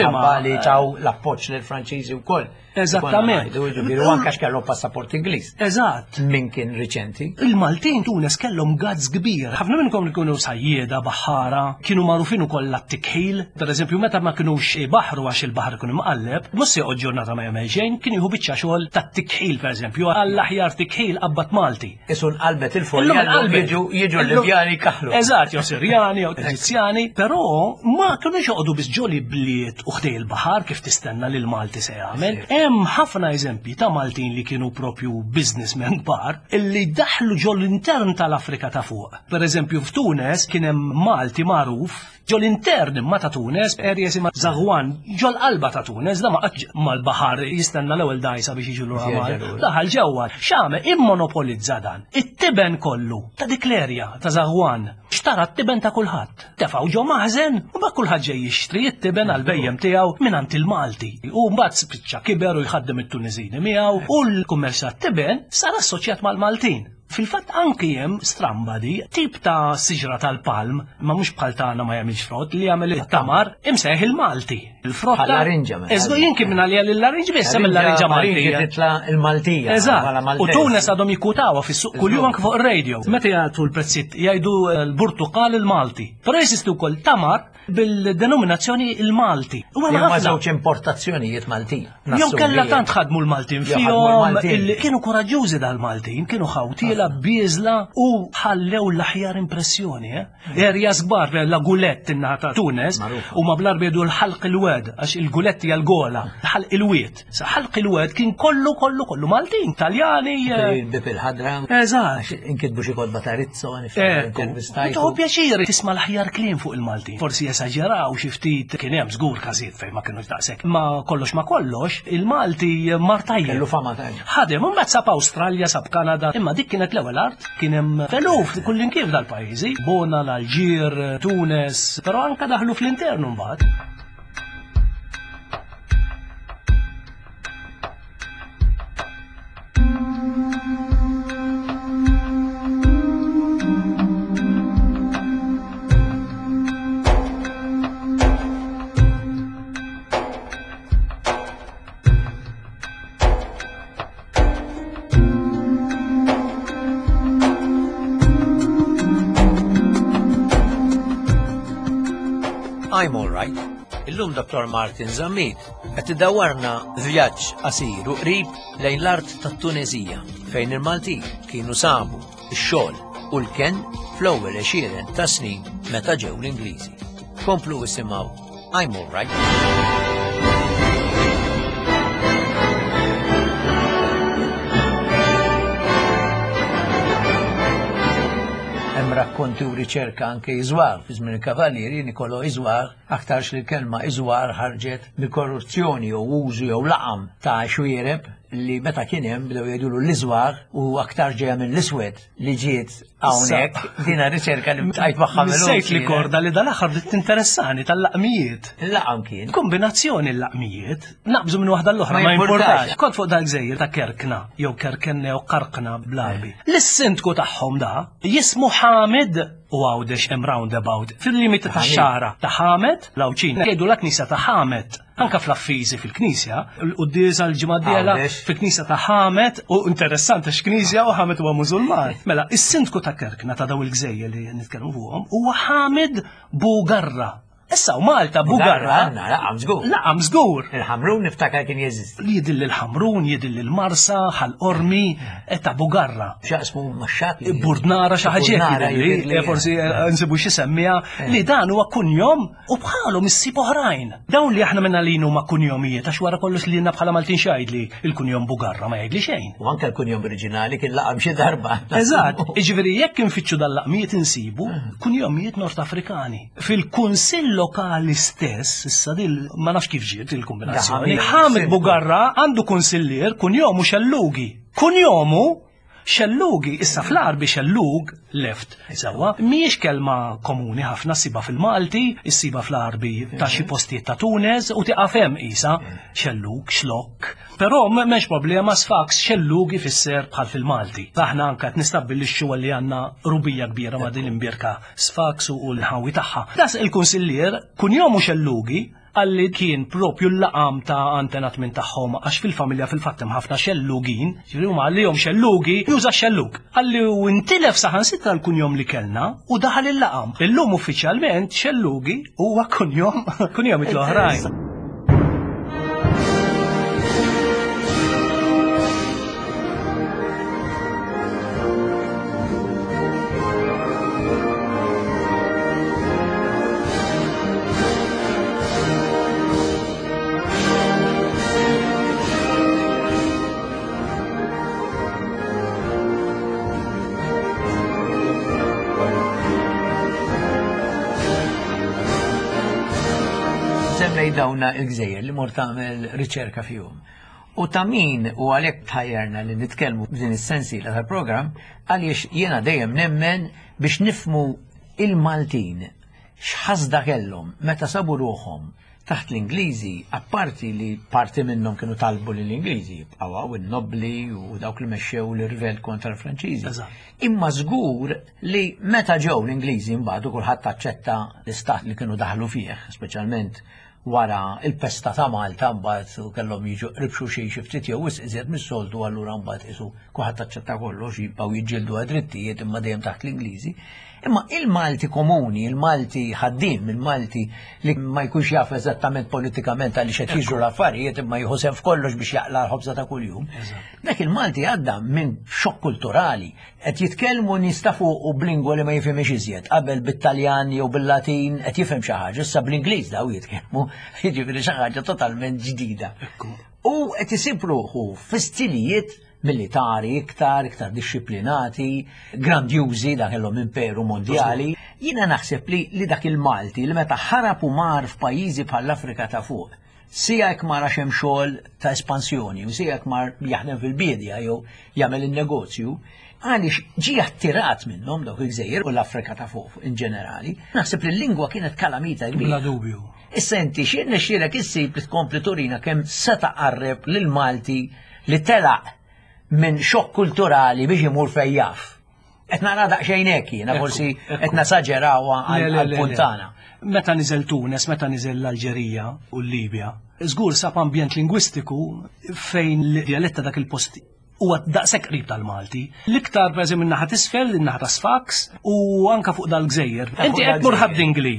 li taw l-appoġġ lill-Franċiżi wkoll. Eżattament. Ġifieri anke kellhom passaport Ingliż. Eżatt. Min kien riċenti. Il-Maltin Tunes kellhom gazz kbir. Ħafna minnkom li kienu sajjieda, baħħara, kienu magħrufin ukoll għat-tikħil. Per eżempju, meta ma kinux baħru għax il-baħar ikun imqalleb, mhux se joqgħod ġurnata ma jagħmel xejn, kien jieħu biċċa xogħol tat-tikħil pereżempju, għall-aħjar tikħil qabbat Malti. Isu nqalbet il-folja jiġu jiġu l-Libjani kaħlu. Eżatt, jew Sirjani, jew Eġizzjani, però ma kinux joqogħdu biss ġoli bliet u ħdej il-baħar kif tistenna li l-Malti se jagħmel. Hemm ħafna eżempji ta' Maltin li kienu propju businessmen kbar illi daħlu ġol intern tal-Afrika ta' fuq. Per eżempju f'Tunes kien hemm Malti magħruf ġol intern imma ta' Tunes, area jisimha Zaghouan, ġol qalba ta' Tunes, da ma qatx mal-baħar jistenna l-ewwel dgħajsa biex jiġu lura Malta. Daħal ġewwa, x'għamel? Immonopolizza dan. It-tiben kollu ta' dik l-area ta' Zaghouan. Xtara t-tiben ta' kulħadd. Tefgħu ġo maħżen u mbagħad kulħadd ġej jixtri t-tiben għall-bhejjem tiegħu mingħand il-Malti. U mbagħad spiċċa kiber u jħaddem it-Tuniżini miegħu u l-kummerċ tat-tiben sar assoċjat mal-Maltin. Fil-fatt anki hemm stramba di, tip ta' siġra tal-palm, imma mhux bħal tagħna ma jagħmilx frott, li jagħmel it-tamar, imsejjaħ il-Malti. Il-frotta. Bħal larinġa mela. Eżgu jien kien minn għalija l-larinġ biss, hemm il-larinġa Maltija. Titla' il-Maltija. Eżatt. U Tunes għadhom jikkutawha fis-suq kuljum anke fuq ir-radio. Meta jagħtu l-prezzijiet jgħidu l-burtuqal il-Malti. Però jeżisti wkoll tamar bil-denominazzjoni il-Malti. U hemm ħafna żewġ importazzjonijiet Maltin. Jew kellha tant ħadmu l-Maltin fihom, kienu koraġġużi dal-Maltin, kienu ħawtiela bieżla u ħallew l-aħjar impressjoni. Eh? Erja kbar la Gulett in-naħa ta' Tunes u ma bl-Arbi jgħidu l-ħalq il-wed għax il-Gulett hija l-gola, ħalq il-wied. Sa ħalq il-wed kien kollu kollu kollu Maltin, Taljani. Eh. Bib il-ħadra. Eżatt. Inkitbu xi kotba ta' Rizzo, intervistajtu. pjaċir tisma' l-aħjar kliem fuq il-Maltin. Forsi esaġeraw xi ftit kien hemm żgur każijiet fejn ma kienux daqshekk. Ma kollox ma kollox, il-Malti mar tajjeb. Kellu fama tajjeb. Ħadem, u mbagħad sab Awstralja, sab Kanada, imma dik kienet l-ewwel art, kien hemm eluf kullimkien f'dal-pajjiżi, Bona, l-Alġir, Tunes, però anka daħlu fl-internu mbagħad. I'm all right. Illum Dr. Martin Zammit qed idawwarna vjaġġ qasir u qrib lejn l-art tat-Tuneżija fejn il-Maltin kienu sabu x-xogħol u l-kenn fl-ewwel għexieren ta' snin meta ġew l-Ingliżi. Komplu isimgħu I'm all right. Hemm rakkonti u riċerka anke Iżwar fi żmien il-Kavallieri Nicolò Iżwar aktarx li l-kelma Iżwar ħarġet mill-korruzzjoni jew użu jew laqam ta' xwiereb. li meta kien hemm bdew jgħidulu l-iżwar u aktar ġejja minn l-iswed li ġiet hawnhekk dina riċerka li bqajt magħha mill Sejt li korda li dal-aħħar bdiet tinteressani tal-laqmijiet. Il-laqam kien. Kombinazzjoni l-laqmijiet, naqbżu minn waħda l-oħra ma jimportax. Kont fuq dal-gżejjer ta' Kerkna, jew Kerkenne jew Karkna bl-Arbi. L-sindku tagħhom da jismu Hamid u Għawdex hemm roundabout fil-limiti tax-xara ta' Ħamed, l-Għawdxin jgħidu la knisja ta' Ħamed. Anka fl-affiżi fil-knisja, l-quddiesa l-ġimgħa d-dieħla fil-knisja ta' Ħamed u interessanti x'knisja u Ħamed huwa Musulman. Mela, is-sindku ta' Kerkna ta' daw il-gżejjer li nitkellmu fuqhom huwa Ħamid Bugarra. Issa u Malta Bugarra. Għandna, laqam żgur. Laqam żgur. Il-Ħamrun niftakar kien jeżisti. Li jidil il-Ħamrun, jidil il-Marsa, Ħal-Qormi, e ta' Bugarra. Xaqsmu max-xatt. Burdnara xi ħaġa li forsi nsibu xi semmija li dan huwa kunjom u bħalhom issib oħrajn. Dawn li aħna minna li huma kunjomijiet għax wara kollox li bħala Maltin xajdli il-kunjom Bugarra ma jgħidli xejn. U anke l-kunjom oriġinali kien laqam xi darba. Eżatt, jiġifieri jekk infittxu dal-laqmijiet insibu kunjomijiet Nord Afrikani. Fil-kunsill lokali stess, issa dil ma nafx kif ġiet il-kombinazzjoni, Hamid Bugarra għandu kunsillier kunjomu Xellugi. Kunjomu Xellugi, issa fl-Arbi xellug, left, sewwa, mhijiex kelma komuni ħafna ssiba fil-Malti, issiba fl-Arbi ta' xi postijiet ta' Tuneż u tieqaf hemm qisha, xellug, xlokk. Però m'hemmx problema Sfax xellug ifisser bħal fil-Malti. Aħna anke qed nistabbilixxu li għandna rubija kbira ma' din l-imbierka Sfax u l-ħawi tagħha. Das il-kunsillier kunjomu Xellugi qalli kien propju l-laqam ta' antenat minn tagħhom għax fil-familja fil-fatt hemm ħafna xellugin, ġifieri huma għalihom xellugi juża xellug. Qalli u intilef saħansitra l-kunjom li kellna u daħal il-laqam. Illum uffiċjalment xellugi huwa kunjom kunjom l-oħrajn. Semmej dawna il-gżejjer li mort tagħmel riċerka fihom. U ta' min u għalhekk tħajjarna li nitkellmu f'din is-sensiela tal-programm għaliex jiena dejjem nemmen biex nifmu il-Maltin x'ħasda kellhom meta sabu ruħhom taħt l-Ingliżi, apparti li parti minnhom kienu talbu li l-Ingliżi jibqgħu hawn in-nobbli u dawk li mexxew l-irvell kontra l-Franċiżi. Imma żgur li meta ġew l-Ingliżi mbagħad u kulħadd aċċetta l-istat li kienu daħlu fih, speċjalment wara il-pesta ta' Malta mbagħad u kellhom jiġu qrib xulxin xi ftit jew wisq iżjed mis-soltu allura mbagħad qisu kulħadd aċċetta kollox jibqgħu jiġġieldu għad-drittijiet imma dejjem taħt l-Ingliżi. Imma il-Malti komuni, il-Malti ħaddiem, il-Malti li ma jkunx jaf eżattament politikament għaliex qed jiġru l-affarijiet imma jieħu sehem f'kollox biex jaqla' l-ħobża ta' kuljum. Dak il-Malti għadda minn xokk kulturali, qed jitkellmu nies ta' fuq u b'lingwa li ma jifhimx iżjed. Qabel bit-Taljan jew bil-Latin qed jifhem xi ħaġa, issa bl-Ingliż daw jitkellmu, jiġifieri xi ħaġa totalment ġdida. U qed isib ruħu fi stilijiet militari iktar, iktar dixxiplinati, grandjużi, dak kellhom imperu mondjali. Jiena naħseb li, li dak il-Malti li meta ħarab u mar f'pajjiżi bħall-Afrika ta' fuq, sija jekk mar għax hemm xogħol ta' espansjoni u sija jekk mar jaħdem fil-biedja jew jagħmel in-negozju, għaliex ġie attirat minnhom dawk il-gżejjer u l-Afrika ta' fuq in ġenerali. Naħseb li l-lingwa kienet kalamita kbira. Bla dubju. Issa inti xi nexxielek issib li tkompli turina kemm seta' qarreb lil Malti li telaq minn xokk kulturali biex imur fejn jaf. Qed nara daqsxejn hekk jiena forsi qed nasaġerawha għall-punt tagħna. Meta niżel Tunes, meta niżel l-Alġerija u l-Libja, żgur sab ambjent lingwistiku fejn l-djalett ta' dak il-post huwa daqshekk qrib tal-Malti. L-iktar pereżempju min-naħa t'isfel, in-naħa ta' Sfax u anka fuq dal-gżejjer. Inti qed tmur Ħad-Dingli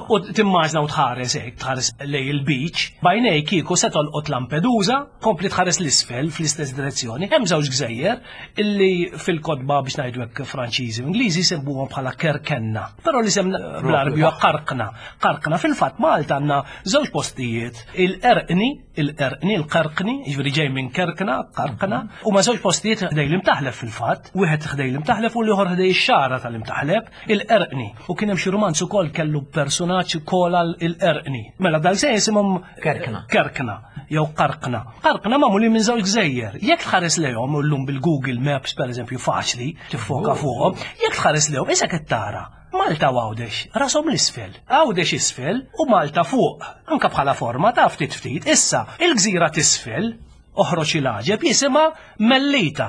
u timmaġna u tħares hekk, tħares lej il-beach, bajnej kieku se tolqot Lampedusa, kompli tħares l-isfel fl-istess direzzjoni. Hemm żewġ gżejjer illi fil-kotba biex ngħidu hekk Franċiżi u Ingliżi jsemmuhom bħala Kerkenna. Però l-isem bl-Għarbi huwa Qarqna. Qarqna fil-fatt Malta għandna żewġ postijiet, il-Erqni, il-Erqni, il-Qarqni, jiġifieri ġej minn Kerkna, Qarqna, huma żewġ żewġ postijiet ħdej l-imtaħleb fil-fatt, wieħed ħdej l-imtaħleb u l-ieħor ħdej ix-xagħra tal-imtaħleb, il-Qerqni. U kien hemm xi rumanz ukoll kellu personaġġ kola l-Qerqni. Mela dal-gżejjer jisimhom Kerkna. Kerkna jew Qarqna. Qarqna magħmulin minn żewġ gżejjer. Jekk tħares lejhom llum bil-Google Maps pereżempju faċli tiffoka fuqhom, jekk tħares lejhom isek qed tara Malta u Għawdex rashom l-isfel, Għawdex isfel u Malta fuq, anka bħala forma ta' ftit ftit. Issa, il-gżira t'isfel, oħroġ il-għaġeb, jisimha Mellita.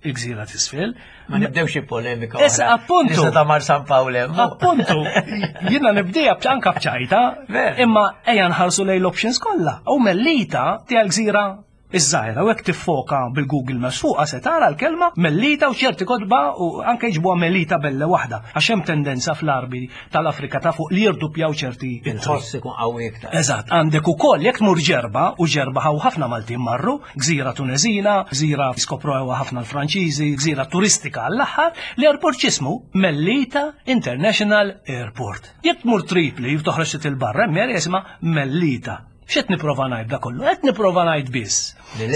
Il-gżira t'isfel. Ma nibdewx xi polemika. Issa, appuntu. Issa ta' Mar San Pawl hemm. Appuntu, jiena nibdejha anka b'ċajta, imma ejja nħarsu lejn l-options kollha. U Mellita tiegħi l-gżira Iż-żgħira u hekk tiffoka bil-Google Maps fuqha se tara l-kelma Mellita u ċerti kotba u anke jiġbuha Melita belle waħda għax hemm tendenza fl-Għarbi tal-Afrika ta' fuq li jirduppjaw ċerti ittri. Il-ħoss ikun qawwi iktar. Eżatt, għandek ukoll jekk tmur Ġerba u Ġerba hawn ħafna Maltin marru, gżira Tuneżina, gżira skoprewha ħafna l-Franċiżi, gżira turistika għall-aħħar, l-airport x'ismu? Mellita International Airport. Jekk tmur Tripli u toħroġ ftit 'il barra hemm area jisimha Mellita. X'qed nipprova ngħid da kollu? Qed nipprova ngħid biss.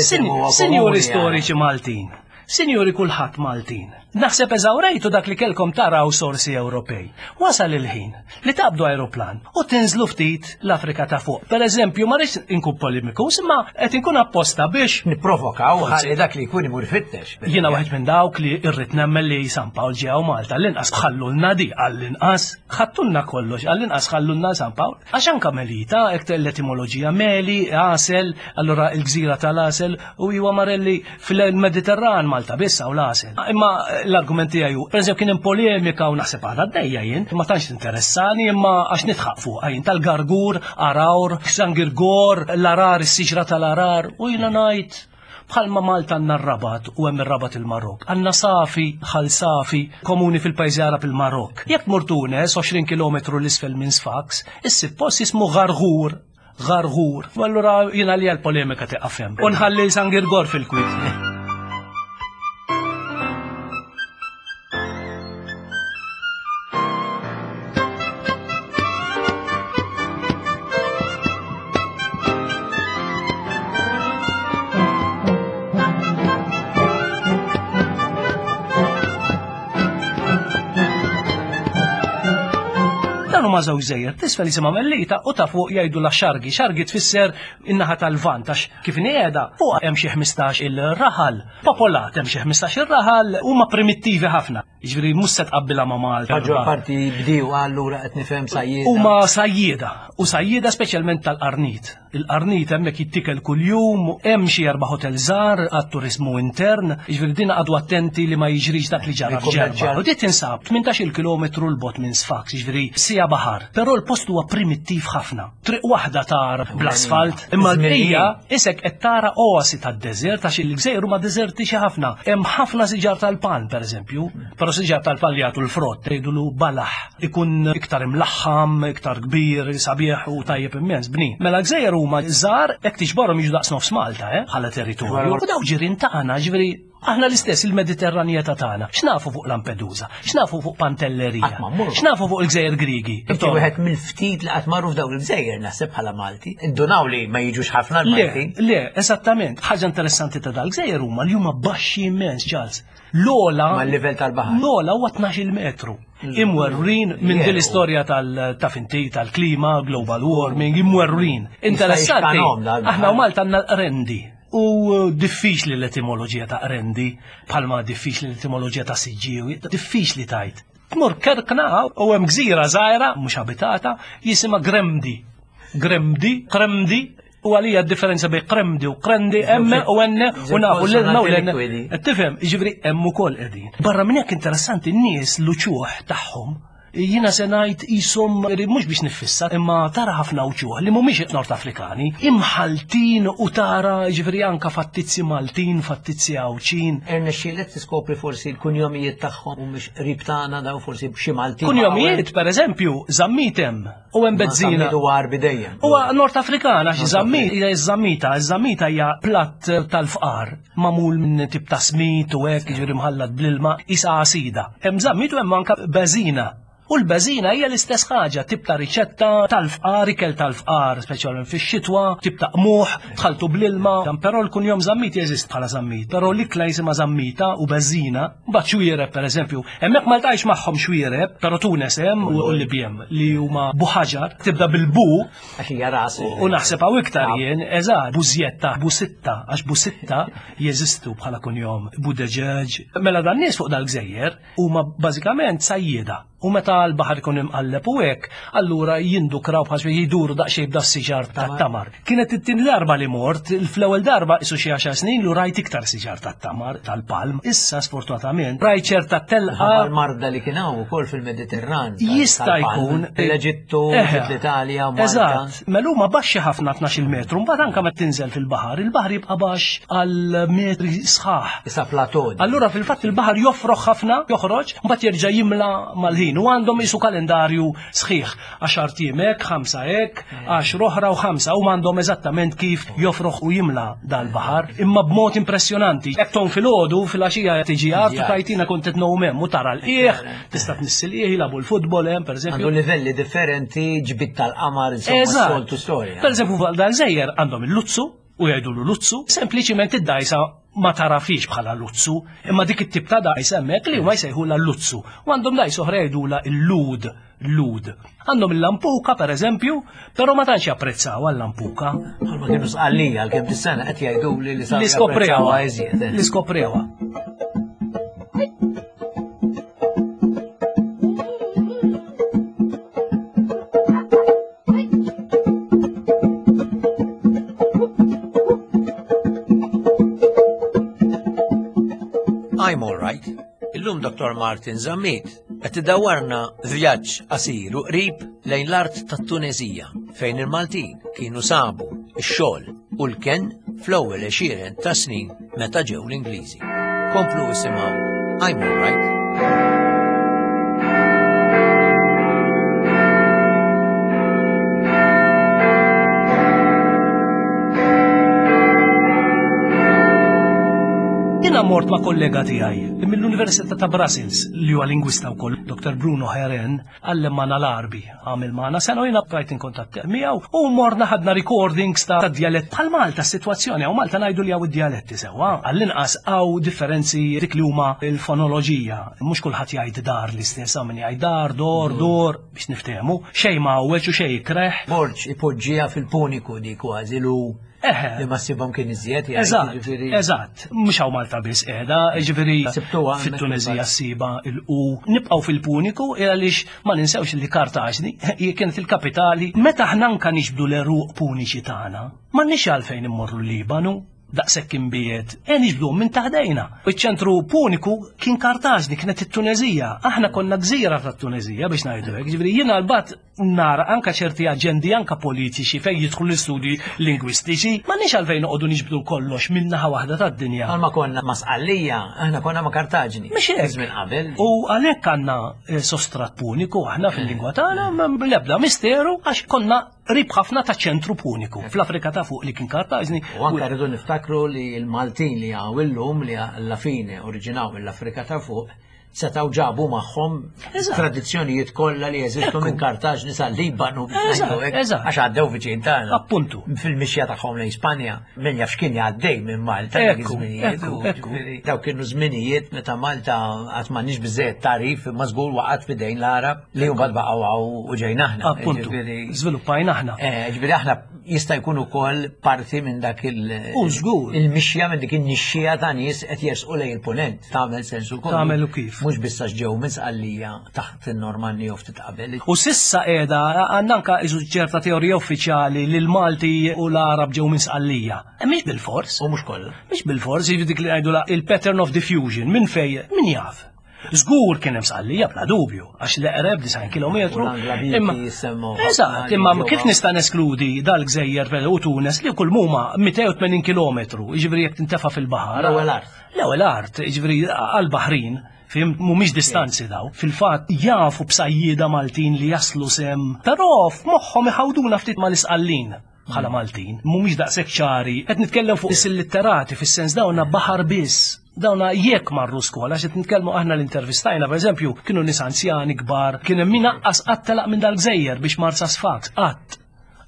Sinjuri storiċi Maltin, sinjuri kulħadd Maltin. Naħseb eżawrejtu dak li kelkom taraw sorsi Ewropej. Wasal il-ħin li taqbdu aeroplan u tinżlu ftit l-Afrika ta' fuq. Per eżempju, ma rridx inkun polemiku, imma qed inkun apposta biex nipprovokaw ħalli dak li jkun imur fittex. Jiena wieħed minn dawk li rrid nemmen li San Pawl ġew Malta l-inqas ħallulna di għall-inqas ħattulna kollox għall-inqas ħallulna San Pawl. Għax anka Melita, hekk l-etimoloġija meli, għasel, allura il-gżira tal-għasel u huwa Marelli fil-Mediterran Malta biss hawn l-għasel. Imma l-argument tiegħi hu, pereżempju kien hemm polemika u naħseb għadha għaddejja jien, ma tantx interessani imma għax nidħaq fuqha jien tal-gargur, arawr, Sangirgor, l-arar, is-siġra tal-arar u jiena ngħid Bħalma Malta għandna r-Rabat u hemm ir-Rabat il-Marokk. Għandna Safi, Ħal Safi, komuni fil-pajjiżi Għarab il-Marokk. Jekk tmur Tunes, 20 kilometru 'l isfel minn Sfax, issib post jismu Gharghur. Gharghur. U allura jien għalija l-polemika tieqaf hemm. U nħalli San Girgor fil-kwiet. Dan huma żewġ żejjer, tisfel jisimha Mellita u ta' fuq jgħidu la xargi. Xargi tfisser in-naħa tal-Lvant għax kif inhi qiegħda fuq hemm xi 15 il-raħal. Popolat hemm xi 15 il-raħal huma primittivi ħafna. Jiġifieri mhux se tqabbilha ma' Malta. Maġġor parti bdiewa allura qed nifhem sajjieda. Huma sajjieda u sajjieda speċjalment tal-qarnit. Il-qarnit hemmhekk jittikel kuljum, hemm xi erba' hotel żgħar għat-turiżmu intern, jiġifieri din qagħdu attenti li ma jiġrix dak li ġara f'Ġerba. U din tinsab 18-il kilometru 'l bogħod minn Sfax, jiġifieri siegħa baħar. Però l-post huwa primittiv ħafna. Triq waħda tara bl-asfalt, imma l-bqija isek qed tara oasi tad-deżert għax il-gżejjer huma deżertiċi ħafna. Hemm ħafna siġar tal-palm pereżempju, però siġar tal-palm li jagħtu l-frott tgħidulu balaħ, ikun iktar imlaħħam, iktar kbir, sabiħ u tajjeb immens, bnin. Mela l-gżejjer huma żgħar hekk tiġborhom jiġu daqs nofs Malta, eh, bħala territorju. U dawk ġirien tagħna, ġifieri Aħna l-istess il-Mediterranjetà tagħna. X'nafu fuq Lampedusa? X'nafu fuq Pantellerija? X'nafu fuq il-Gżejjer Griegi? Inti wieħed mill-ftit li qatt marru f'dawn il-gżejjer naħseb bħala Malti. Indunaw li ma jiġux ħafna l-Maltin. Le, eżattament. Ħaġa interessanti ta' dal-gżejjer huma li huma baxxi immens, Charles. L-ola. Mal-livell tal-baħar. L-ola huwa 12 metru. Imwerwrin minn din l-istorja tal-tafinti tal-klima, global warming, imwerwrin. Interessanti. Aħna u Malta għandna l-qrendi. U diffiċli l-etimoloġija ta' qrendi, bħalma diffiċli l-etimoloġija ta' Siġġiewi, diffiċli tajt. Tmur Kerkna u hemm gżira żgħira mhux abitata jisimha Gremdi. Gremdi, Kremdi, u għalija d-differenza bejn Kremdi u Krendi hemm u enne u nafu l-ilma u l-enne. Tifhem, jiġifieri hemm ukoll qegħdin. Barra minn hekk interessanti n-nies l-uċuħ tagħhom Jiena se ngħid qishom mhux biex niffissa, imma tara ħafna wċuħ li mhumiex Nord Afrikani, imħalltin u tara jiġifieri anka fattizzi Maltin, fattizzi Għawdxin. Irnexxielek tiskopri forsi l-kunjomijiet tagħhom mhumiex qrib tagħna daw forsi xi Maltin. Kunjomijiet, pereżempju, Zammit hemm u hemm Bezzina. Zammit huwa Għarbi dejjem. Huwa Nord Afrikan għax Zammit hija ż-Zammita, iż-Zammita hija platt tal-fqar. Magħmul minn tip ta' smid u hekk, jiġifieri mħallat bl-ilma, qisha għasida. Hemm żammit u hemm anke beżina. U l-beżina hija l-istess ħaġa, tip ta' riċetta tal-fqar, ikel tal-fqar, speċjalment fix-xitwa, tip ta' qmuħ, tħaltu bl-ilma, dan però l-kunjom Zammit jeżist bħala Zammit, però l-ikla jisimha Zammita u beżina, mbagħad xwiereb pereżempju. Hemmhekk ma ltqajtx magħhom xwiereb, però Tunes hemm u l-Libjem li huma buħaġar, tibda bil-bu. Għax hija ras. U naħseb hawn iktar jien, eżatt, bużjetta, busitta, għax busitta jeżistu bħala kunjom, budeġeġ. Mela dan nies fuq dal-gżejjer huma bażikament sajjieda. U meta l-baħar ikun imqalleb u hekk, allura jindukraw bħal xi jduru daqsxejn b'da siġar tat-tamar. Kienet it-tieni darba li mort, fl-ewwel darba isu xi għaxar snin lu rajt iktar siġar tat-tamar tal-palm. Issa sfortunatament rajt ċerta telqa. L-marda li kien hawn ukoll fil-Mediterran. Jista' jkun. L-Eġittu, l-Italja, Malta. Eżatt, mela huma baxxi ħafna 12 metru, mbagħad anke meta tinżel fil-baħar, il-baħar jibqa' baxx għal metri sħaħ. Issa plateau. Allura fil-fatt il-baħar jofroħ ħafna, joħroġ, mbagħad jerġa' jimla mal-ħin u għandhom isu kalendarju sħiħ, għaxar ijiem hekk, ħamsa hekk, għaxra oħra u ħamsa, huma għandhom eżattament kif jofroħ u jimla dal-baħar, imma b'mod impressjonanti. Jekk tgħum filgħodu, filgħaxija tiġi art u tajtina kont qed ngħum hemm u tara l-qiegħ, tista' tnissi l-qiegħ, jilagħbu l-futbol hemm pereżempju. Għandu livelli differenti, ġbid tal-qamar, insomma, soltu storja. Pereżempju fuq dal-żejjer għandhom il-luzzu, u jgħidulu luzzu, sempliċiment id-dajsa ma tarafix bħala luzzu, imma dik it-tip ta' dajsa hemmhekk li huma jsejħulha luzzu. U għandhom dajsa oħra jgħidulha l-lud, lud. Għandhom il-lampuka pereżempju, però ma tantx japprezzaw għal-lampuka. Bħalma kienu sqallija għalkemm dis-sena qed jgħiduli li saru japprezzawha iżjed. Eh. Li skoprewha. I'm all right. Illum Dr. Martin Zammit qed idawwarna vjaġġ qasir u qrib lejn l-art tat-Tunezija fejn il-Maltin kienu sabu x-xogħol u l-kenn fl-ewwel għexieren ta' snin meta ġew l-Ingliżi. Komplu isimgħu I'm all right. Jiena mort ma' kollega tiegħi mill-Università ta' Brussels li huwa lingwista wkoll, Dr. Bruno Heren, għallem magħna l-Għarbi, għamel magħna sena u jiena bqajt in kuntatt miegħu u morna ħadna recordings ta' djalett bħal Malta s-sitwazzjoni hawn Malta ngħidu li hawn id-djaletti sewwa, għall-inqas hawn differenzi dik li huma l-fonoloġija. Mhux kulħadd jgħid dar l-istess, hawn min jgħid dar, dor, dur, biex niftehmu. Xejn mgħawweġ u xejn ikreh. Borg ipoġġiha fil-puniku di kważi lu Eħe. Li ma ssibhom kien iżjed, jgħid, Eżatt, jiġifieri. eżatt. Mhux hawn Malta biss qiegħda, jiġifieri Sibtuha hemmhekk fit-Tuneżija imbagħad. ssiba il-u. Nibqgħu fil-Puniku għaliex ma ninsewx li Kartaġni hi kienet il-kapitali. Meta aħna anka niġbdu l-għeruq Puniċi tagħna, m'għandniex għalfejn immorru l-Libanu, daqshekk imbiegħed, e niġbduhom minn taħdejna. Iċ-ċentru Puniku kien Kartaġni, kienet it-Tuneżija. Aħna konna gżira tat-Tuneżija biex ngħidu hekk. Jiġifieri jiena l-bat nara anka ċerti aġendi anka politiċi fejn jidħlu l-istudji lingwistiċi, m'għandniex għalfejn noqogħdu niġbdu kollox minn naħa waħda tad-dinja. Bħalma konna ma' Sqallija, aħna konna ma' Kartaġni. Mhux hekk. Żmien qabel. U għalhekk għandna eh, sostrat puniku aħna fil-lingwa tagħna l-ebda misteru għax konna qrib ħafna ta' ċentru puniku fl-Afrika ta' fuq li kien Kartaġni. U anka rridu niftakru li l-Maltin li hawn illum li alla fine oriġinaw mill-Afrika ta' fuq setgħu ġabu magħhom tradizzjonijiet kollha li jeżistu minn Kartaġni sal-Libanu għax għaddew viċin tagħna. Appuntu. Fil-mixja tagħhom lejn Spanja, min jaf x'kien jgħaddej minn Malta dak iż-żminijiet. Dawk kienu żminijiet meta Malta qatt m'għandniex biżejjed tagħrif imma żgur waqgħet f'idejn l-Għarab li mbagħad baqgħu hawn u ġejna aħna. Appuntu. Żviluppajna aħna. Eh, ġifieri aħna jista' jkun ukoll parti minn dak il- il-mixja minn dik in-nixxija ta' nies qed jersqu lejn il-punent. Tagħmel sens ukoll. Tagħmel u kif. Mhux biss għax ġew minn Sqallija taħt in-Normanni jew ftit qabel. U sissa qiegħda għandna anke isu ċerta teorija uffiċjali li l-Malti u l-Għarab ġew minn Sqallija. E mhix bilfors. U mhux kollha. Mhix bilfors, jiġifieri dik li ngħidu il-pattern of diffusion minn fejn min jaf. Żgur kien hemm Sqallija bla dubju, għax l-eqreb 90 kilometru. Imma Eżatt, imma kif nista' neskludi dal-gżejjer u Tunes li kull muma 280 kilometru, jiġifieri jekk tintefa' fil-baħar. L-ewwel art. L-ewwel art, jiġifieri għall-Baħrin, fim, mhumiex distanzi daw. Fil-fatt jafu b'sajjieda Maltin li jaslu sem, però f'moħħhom iħawduna ftit mal-Isqallin bħala Maltin, mhumiex daqshekk ċari. Qed nitkellem fuq is-litterati fis-sens dawna baħar biss. Dawna jekk marru skola, xed nitkellmu aħna l-intervistajna, per eżempju, kienu nies anzjani kbar, kien hemm min aqqas qatt telaq minn dal-gżejjer biex mar sa Sfax, qatt.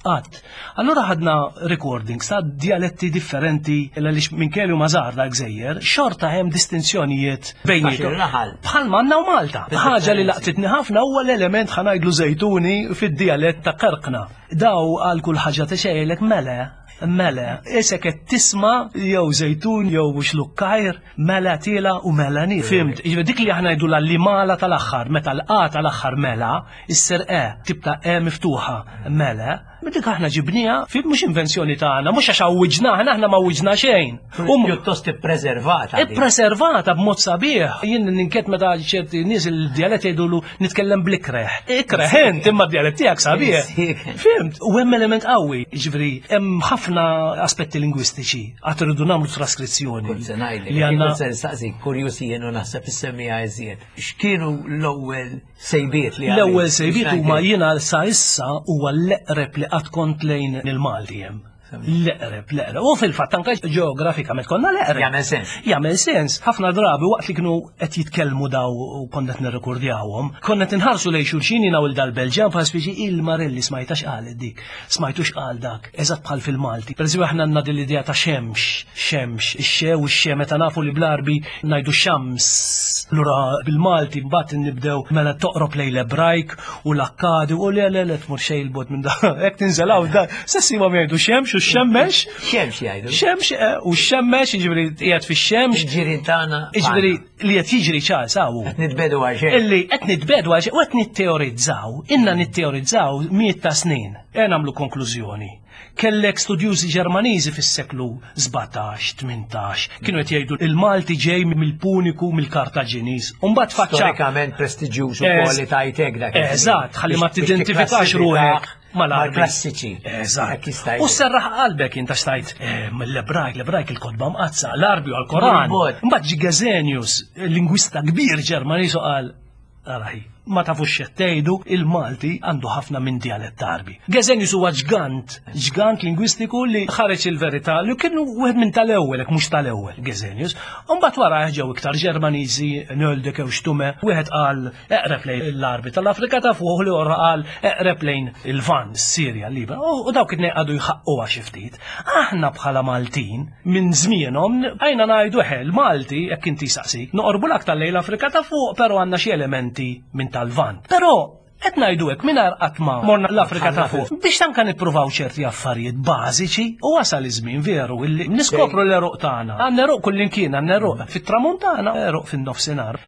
Qatt. Allura ħadna recordings ta' dialetti differenti għaliex minn kellu ma żgħar dal-gżejjer, xorta hemm distinzjonijiet bejniethom. Bħal manna u Malta. Ħaġa li laqtitni ħafna huwa l-element ħanajdlu żejtuni fid-dialett ta' Karkna. Daw għal kull ħaġa tixejlek mela, mela, isek qed tisma' jew żejtun jew xlukkajr, mela tiela u mela ni. Fimt, jiġifieri dik li aħna ngħidu l-limala tal-aħħar, meta l-qa tal-aħħar mela, issir e, tip ta' e miftuħa, mela, dik aħna ġibniha, fim mhux invenzjoni tagħna, mhux għax għawwiġna, aħna aħna ma għawwiġna xejn. U pjuttost ippreservata. Ippreservata b'mod sabiħ. Jien ninket meta ċerti nies il-djalett jgħidulu nitkellem bl-ikreħ. Ikreħ int imma d-djalett tiegħek sabiħ. Fimt, u hemm element qawwi, jiġifieri hemm ħafna aspetti lingwistiċi għad irridu nagħmlu traskrizzjoni. Kont se ngħidlek, li għandna se nistaqsik kurjusi jien u naħseb issemmija iżjed. X'kienu l-ewwel sejbiet li L-ewwel sejbiet huma jiena sa issa huwa l-eqreb li qatt kont lejn il-Malti hemm. L-eqreb, l-eqreb. U fil-fatt anke ġeografikament konna l-eqreb. Jagħmel sens. Jagħmel sens. Ħafna drabi waqt li kienu qed jitkellmu daw u konna qed nirrekordjawhom, konna qed inħarsu lejn xulxin jiena u dal-Belġjan bħal speċi il-Marelli smajta x'qalet dik, smajtu x'qal dak, eżatt bħal fil-Malti. Pereżempju aħna għandna din l-idea ta' xemx, xemx, ix-xe u x-xe meta nafu li bl-Għarbi ngħidu xams. Lura bil-Malti mbagħad nibdew mela toqrob lejn l-Ebrajk u l-Akkadi u le le le tmur xejn il-bot minn da. Hekk tinżel hawn da. Sessi ma jgħidu xemx u xemmex. Xemx jgħidu. Xemx eh, u xemmex, jiġifieri qiegħed fix-xemx. Ġirin tagħna. Jiġifieri li qed jiġri ċar sawu. Qed nitbedu għal xejn. Illi qed nitbedu għal xejn u qed nitteorizzaw, inna nitteorizzaw miet ta' snin. E nagħmlu konklużjoni. Kellek studjużi Ġermaniżi fis-seklu 17, 18, kienu qed jgħidu il-Malti ġej mill-Puniku mill-Kartaġiniż. U mbagħad faċċa. Storikament prestiġjuż ukoll li tajtek dak. Eżatt, ħalli ma tidentifikax ruħek mal-klassiċi. Eżatt. U serraħ qalbek inta xtajt eh, mill-Ebrajk, l-Ebrajk il-kotba mqazza, l-Arbi u l-Koran. Mbagħad ġi Gesenius, lingwista kbir Ġermaniż u qal Arahi, ma tafux x'qed tgħidu, il-Malti għandu ħafna minn djalett Għarbi. Gesenius huwa ġgant, ġgant lingwistiku li ħareġ il-verità li kien wieħed minn tal-ewwel, jekk mhux tal-ewwel, Gesenius. U mbagħad wara ġew iktar Ġermaniżi, Nöldeke u Stumme, wieħed qal eqreb lejn l-Għarbi tal-Afrika ta' fuq, l-ieħor qal eqreb lejn il-Lvant, is-Sirja, l-Libja. U dawk it-tnejn qagħdu jħaqquha xi ftit. Aħna bħala Maltin, minn żmienhom, għajna ngħidu eħe, l-Malti, jekk inti saqsik, noqorbu l-aktar lejn l-Afrika ta' fuq, però għandna xi elementi minn tal-Lvant. Però qed ngħidu hekk mingħajr qatt ma morna l-Afrika ta' fuq. Biex anke nippruvaw ċerti affarijiet bażiċi u wasal iż-żmien veru illi niskopru l-għeruq tagħna. Għandna għeruq kullimkien, għandna għeruq fit-tramuntana, għeruq fin-nofsinhar.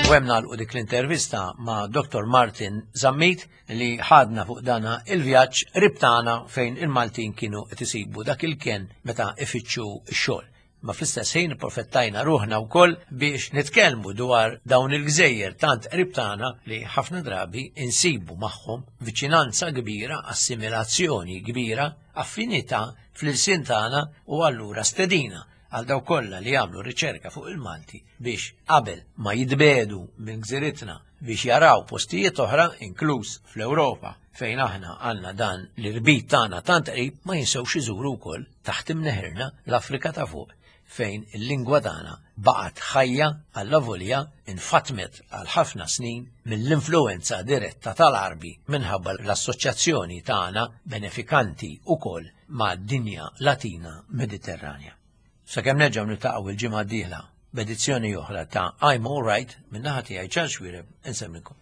U hemm nagħlqu dik l-intervista ma' Dr. Martin Zammit li ħadna fuq dana il-vjaġġ ribtana fejn il-Maltin kienu qed isibu dak il-ken meta ifittxu x-xogħol. Ma fl-istess ħin profettajna ruħna wkoll biex nitkellmu dwar dawn il-gżejjer tant qrib tagħna li ħafna drabi insibu magħhom viċinanza kbira, assimilazzjoni kbira, affinità fl-ilsien tagħna u allura stedina għal dawk kollha li jagħmlu riċerka fuq il-Malti biex qabel ma jitbedu minn gżiritna biex jaraw postijiet oħra inkluż fl-Ewropa fejn aħna għandna dan l-irbit tagħna tant qrib ma jinsewx iżuru wkoll taħt imneħirna l-Afrika ta' fuq fejn il-lingwa tagħna baqgħet ħajja allavolja infatmet għal ħafna snin mill-influwenza diretta tal-Għarbi minħabba l-assoċjazzjoni tagħna benefikanti wkoll mad-dinja Latina Mediterranja. Sakemm nerġgħu niltaqgħu il-ġimgħa d-dieħla b'edizzjoni oħra ta' I'm All Right min-naħa tiegħi Charles Xuereb insemmilkom.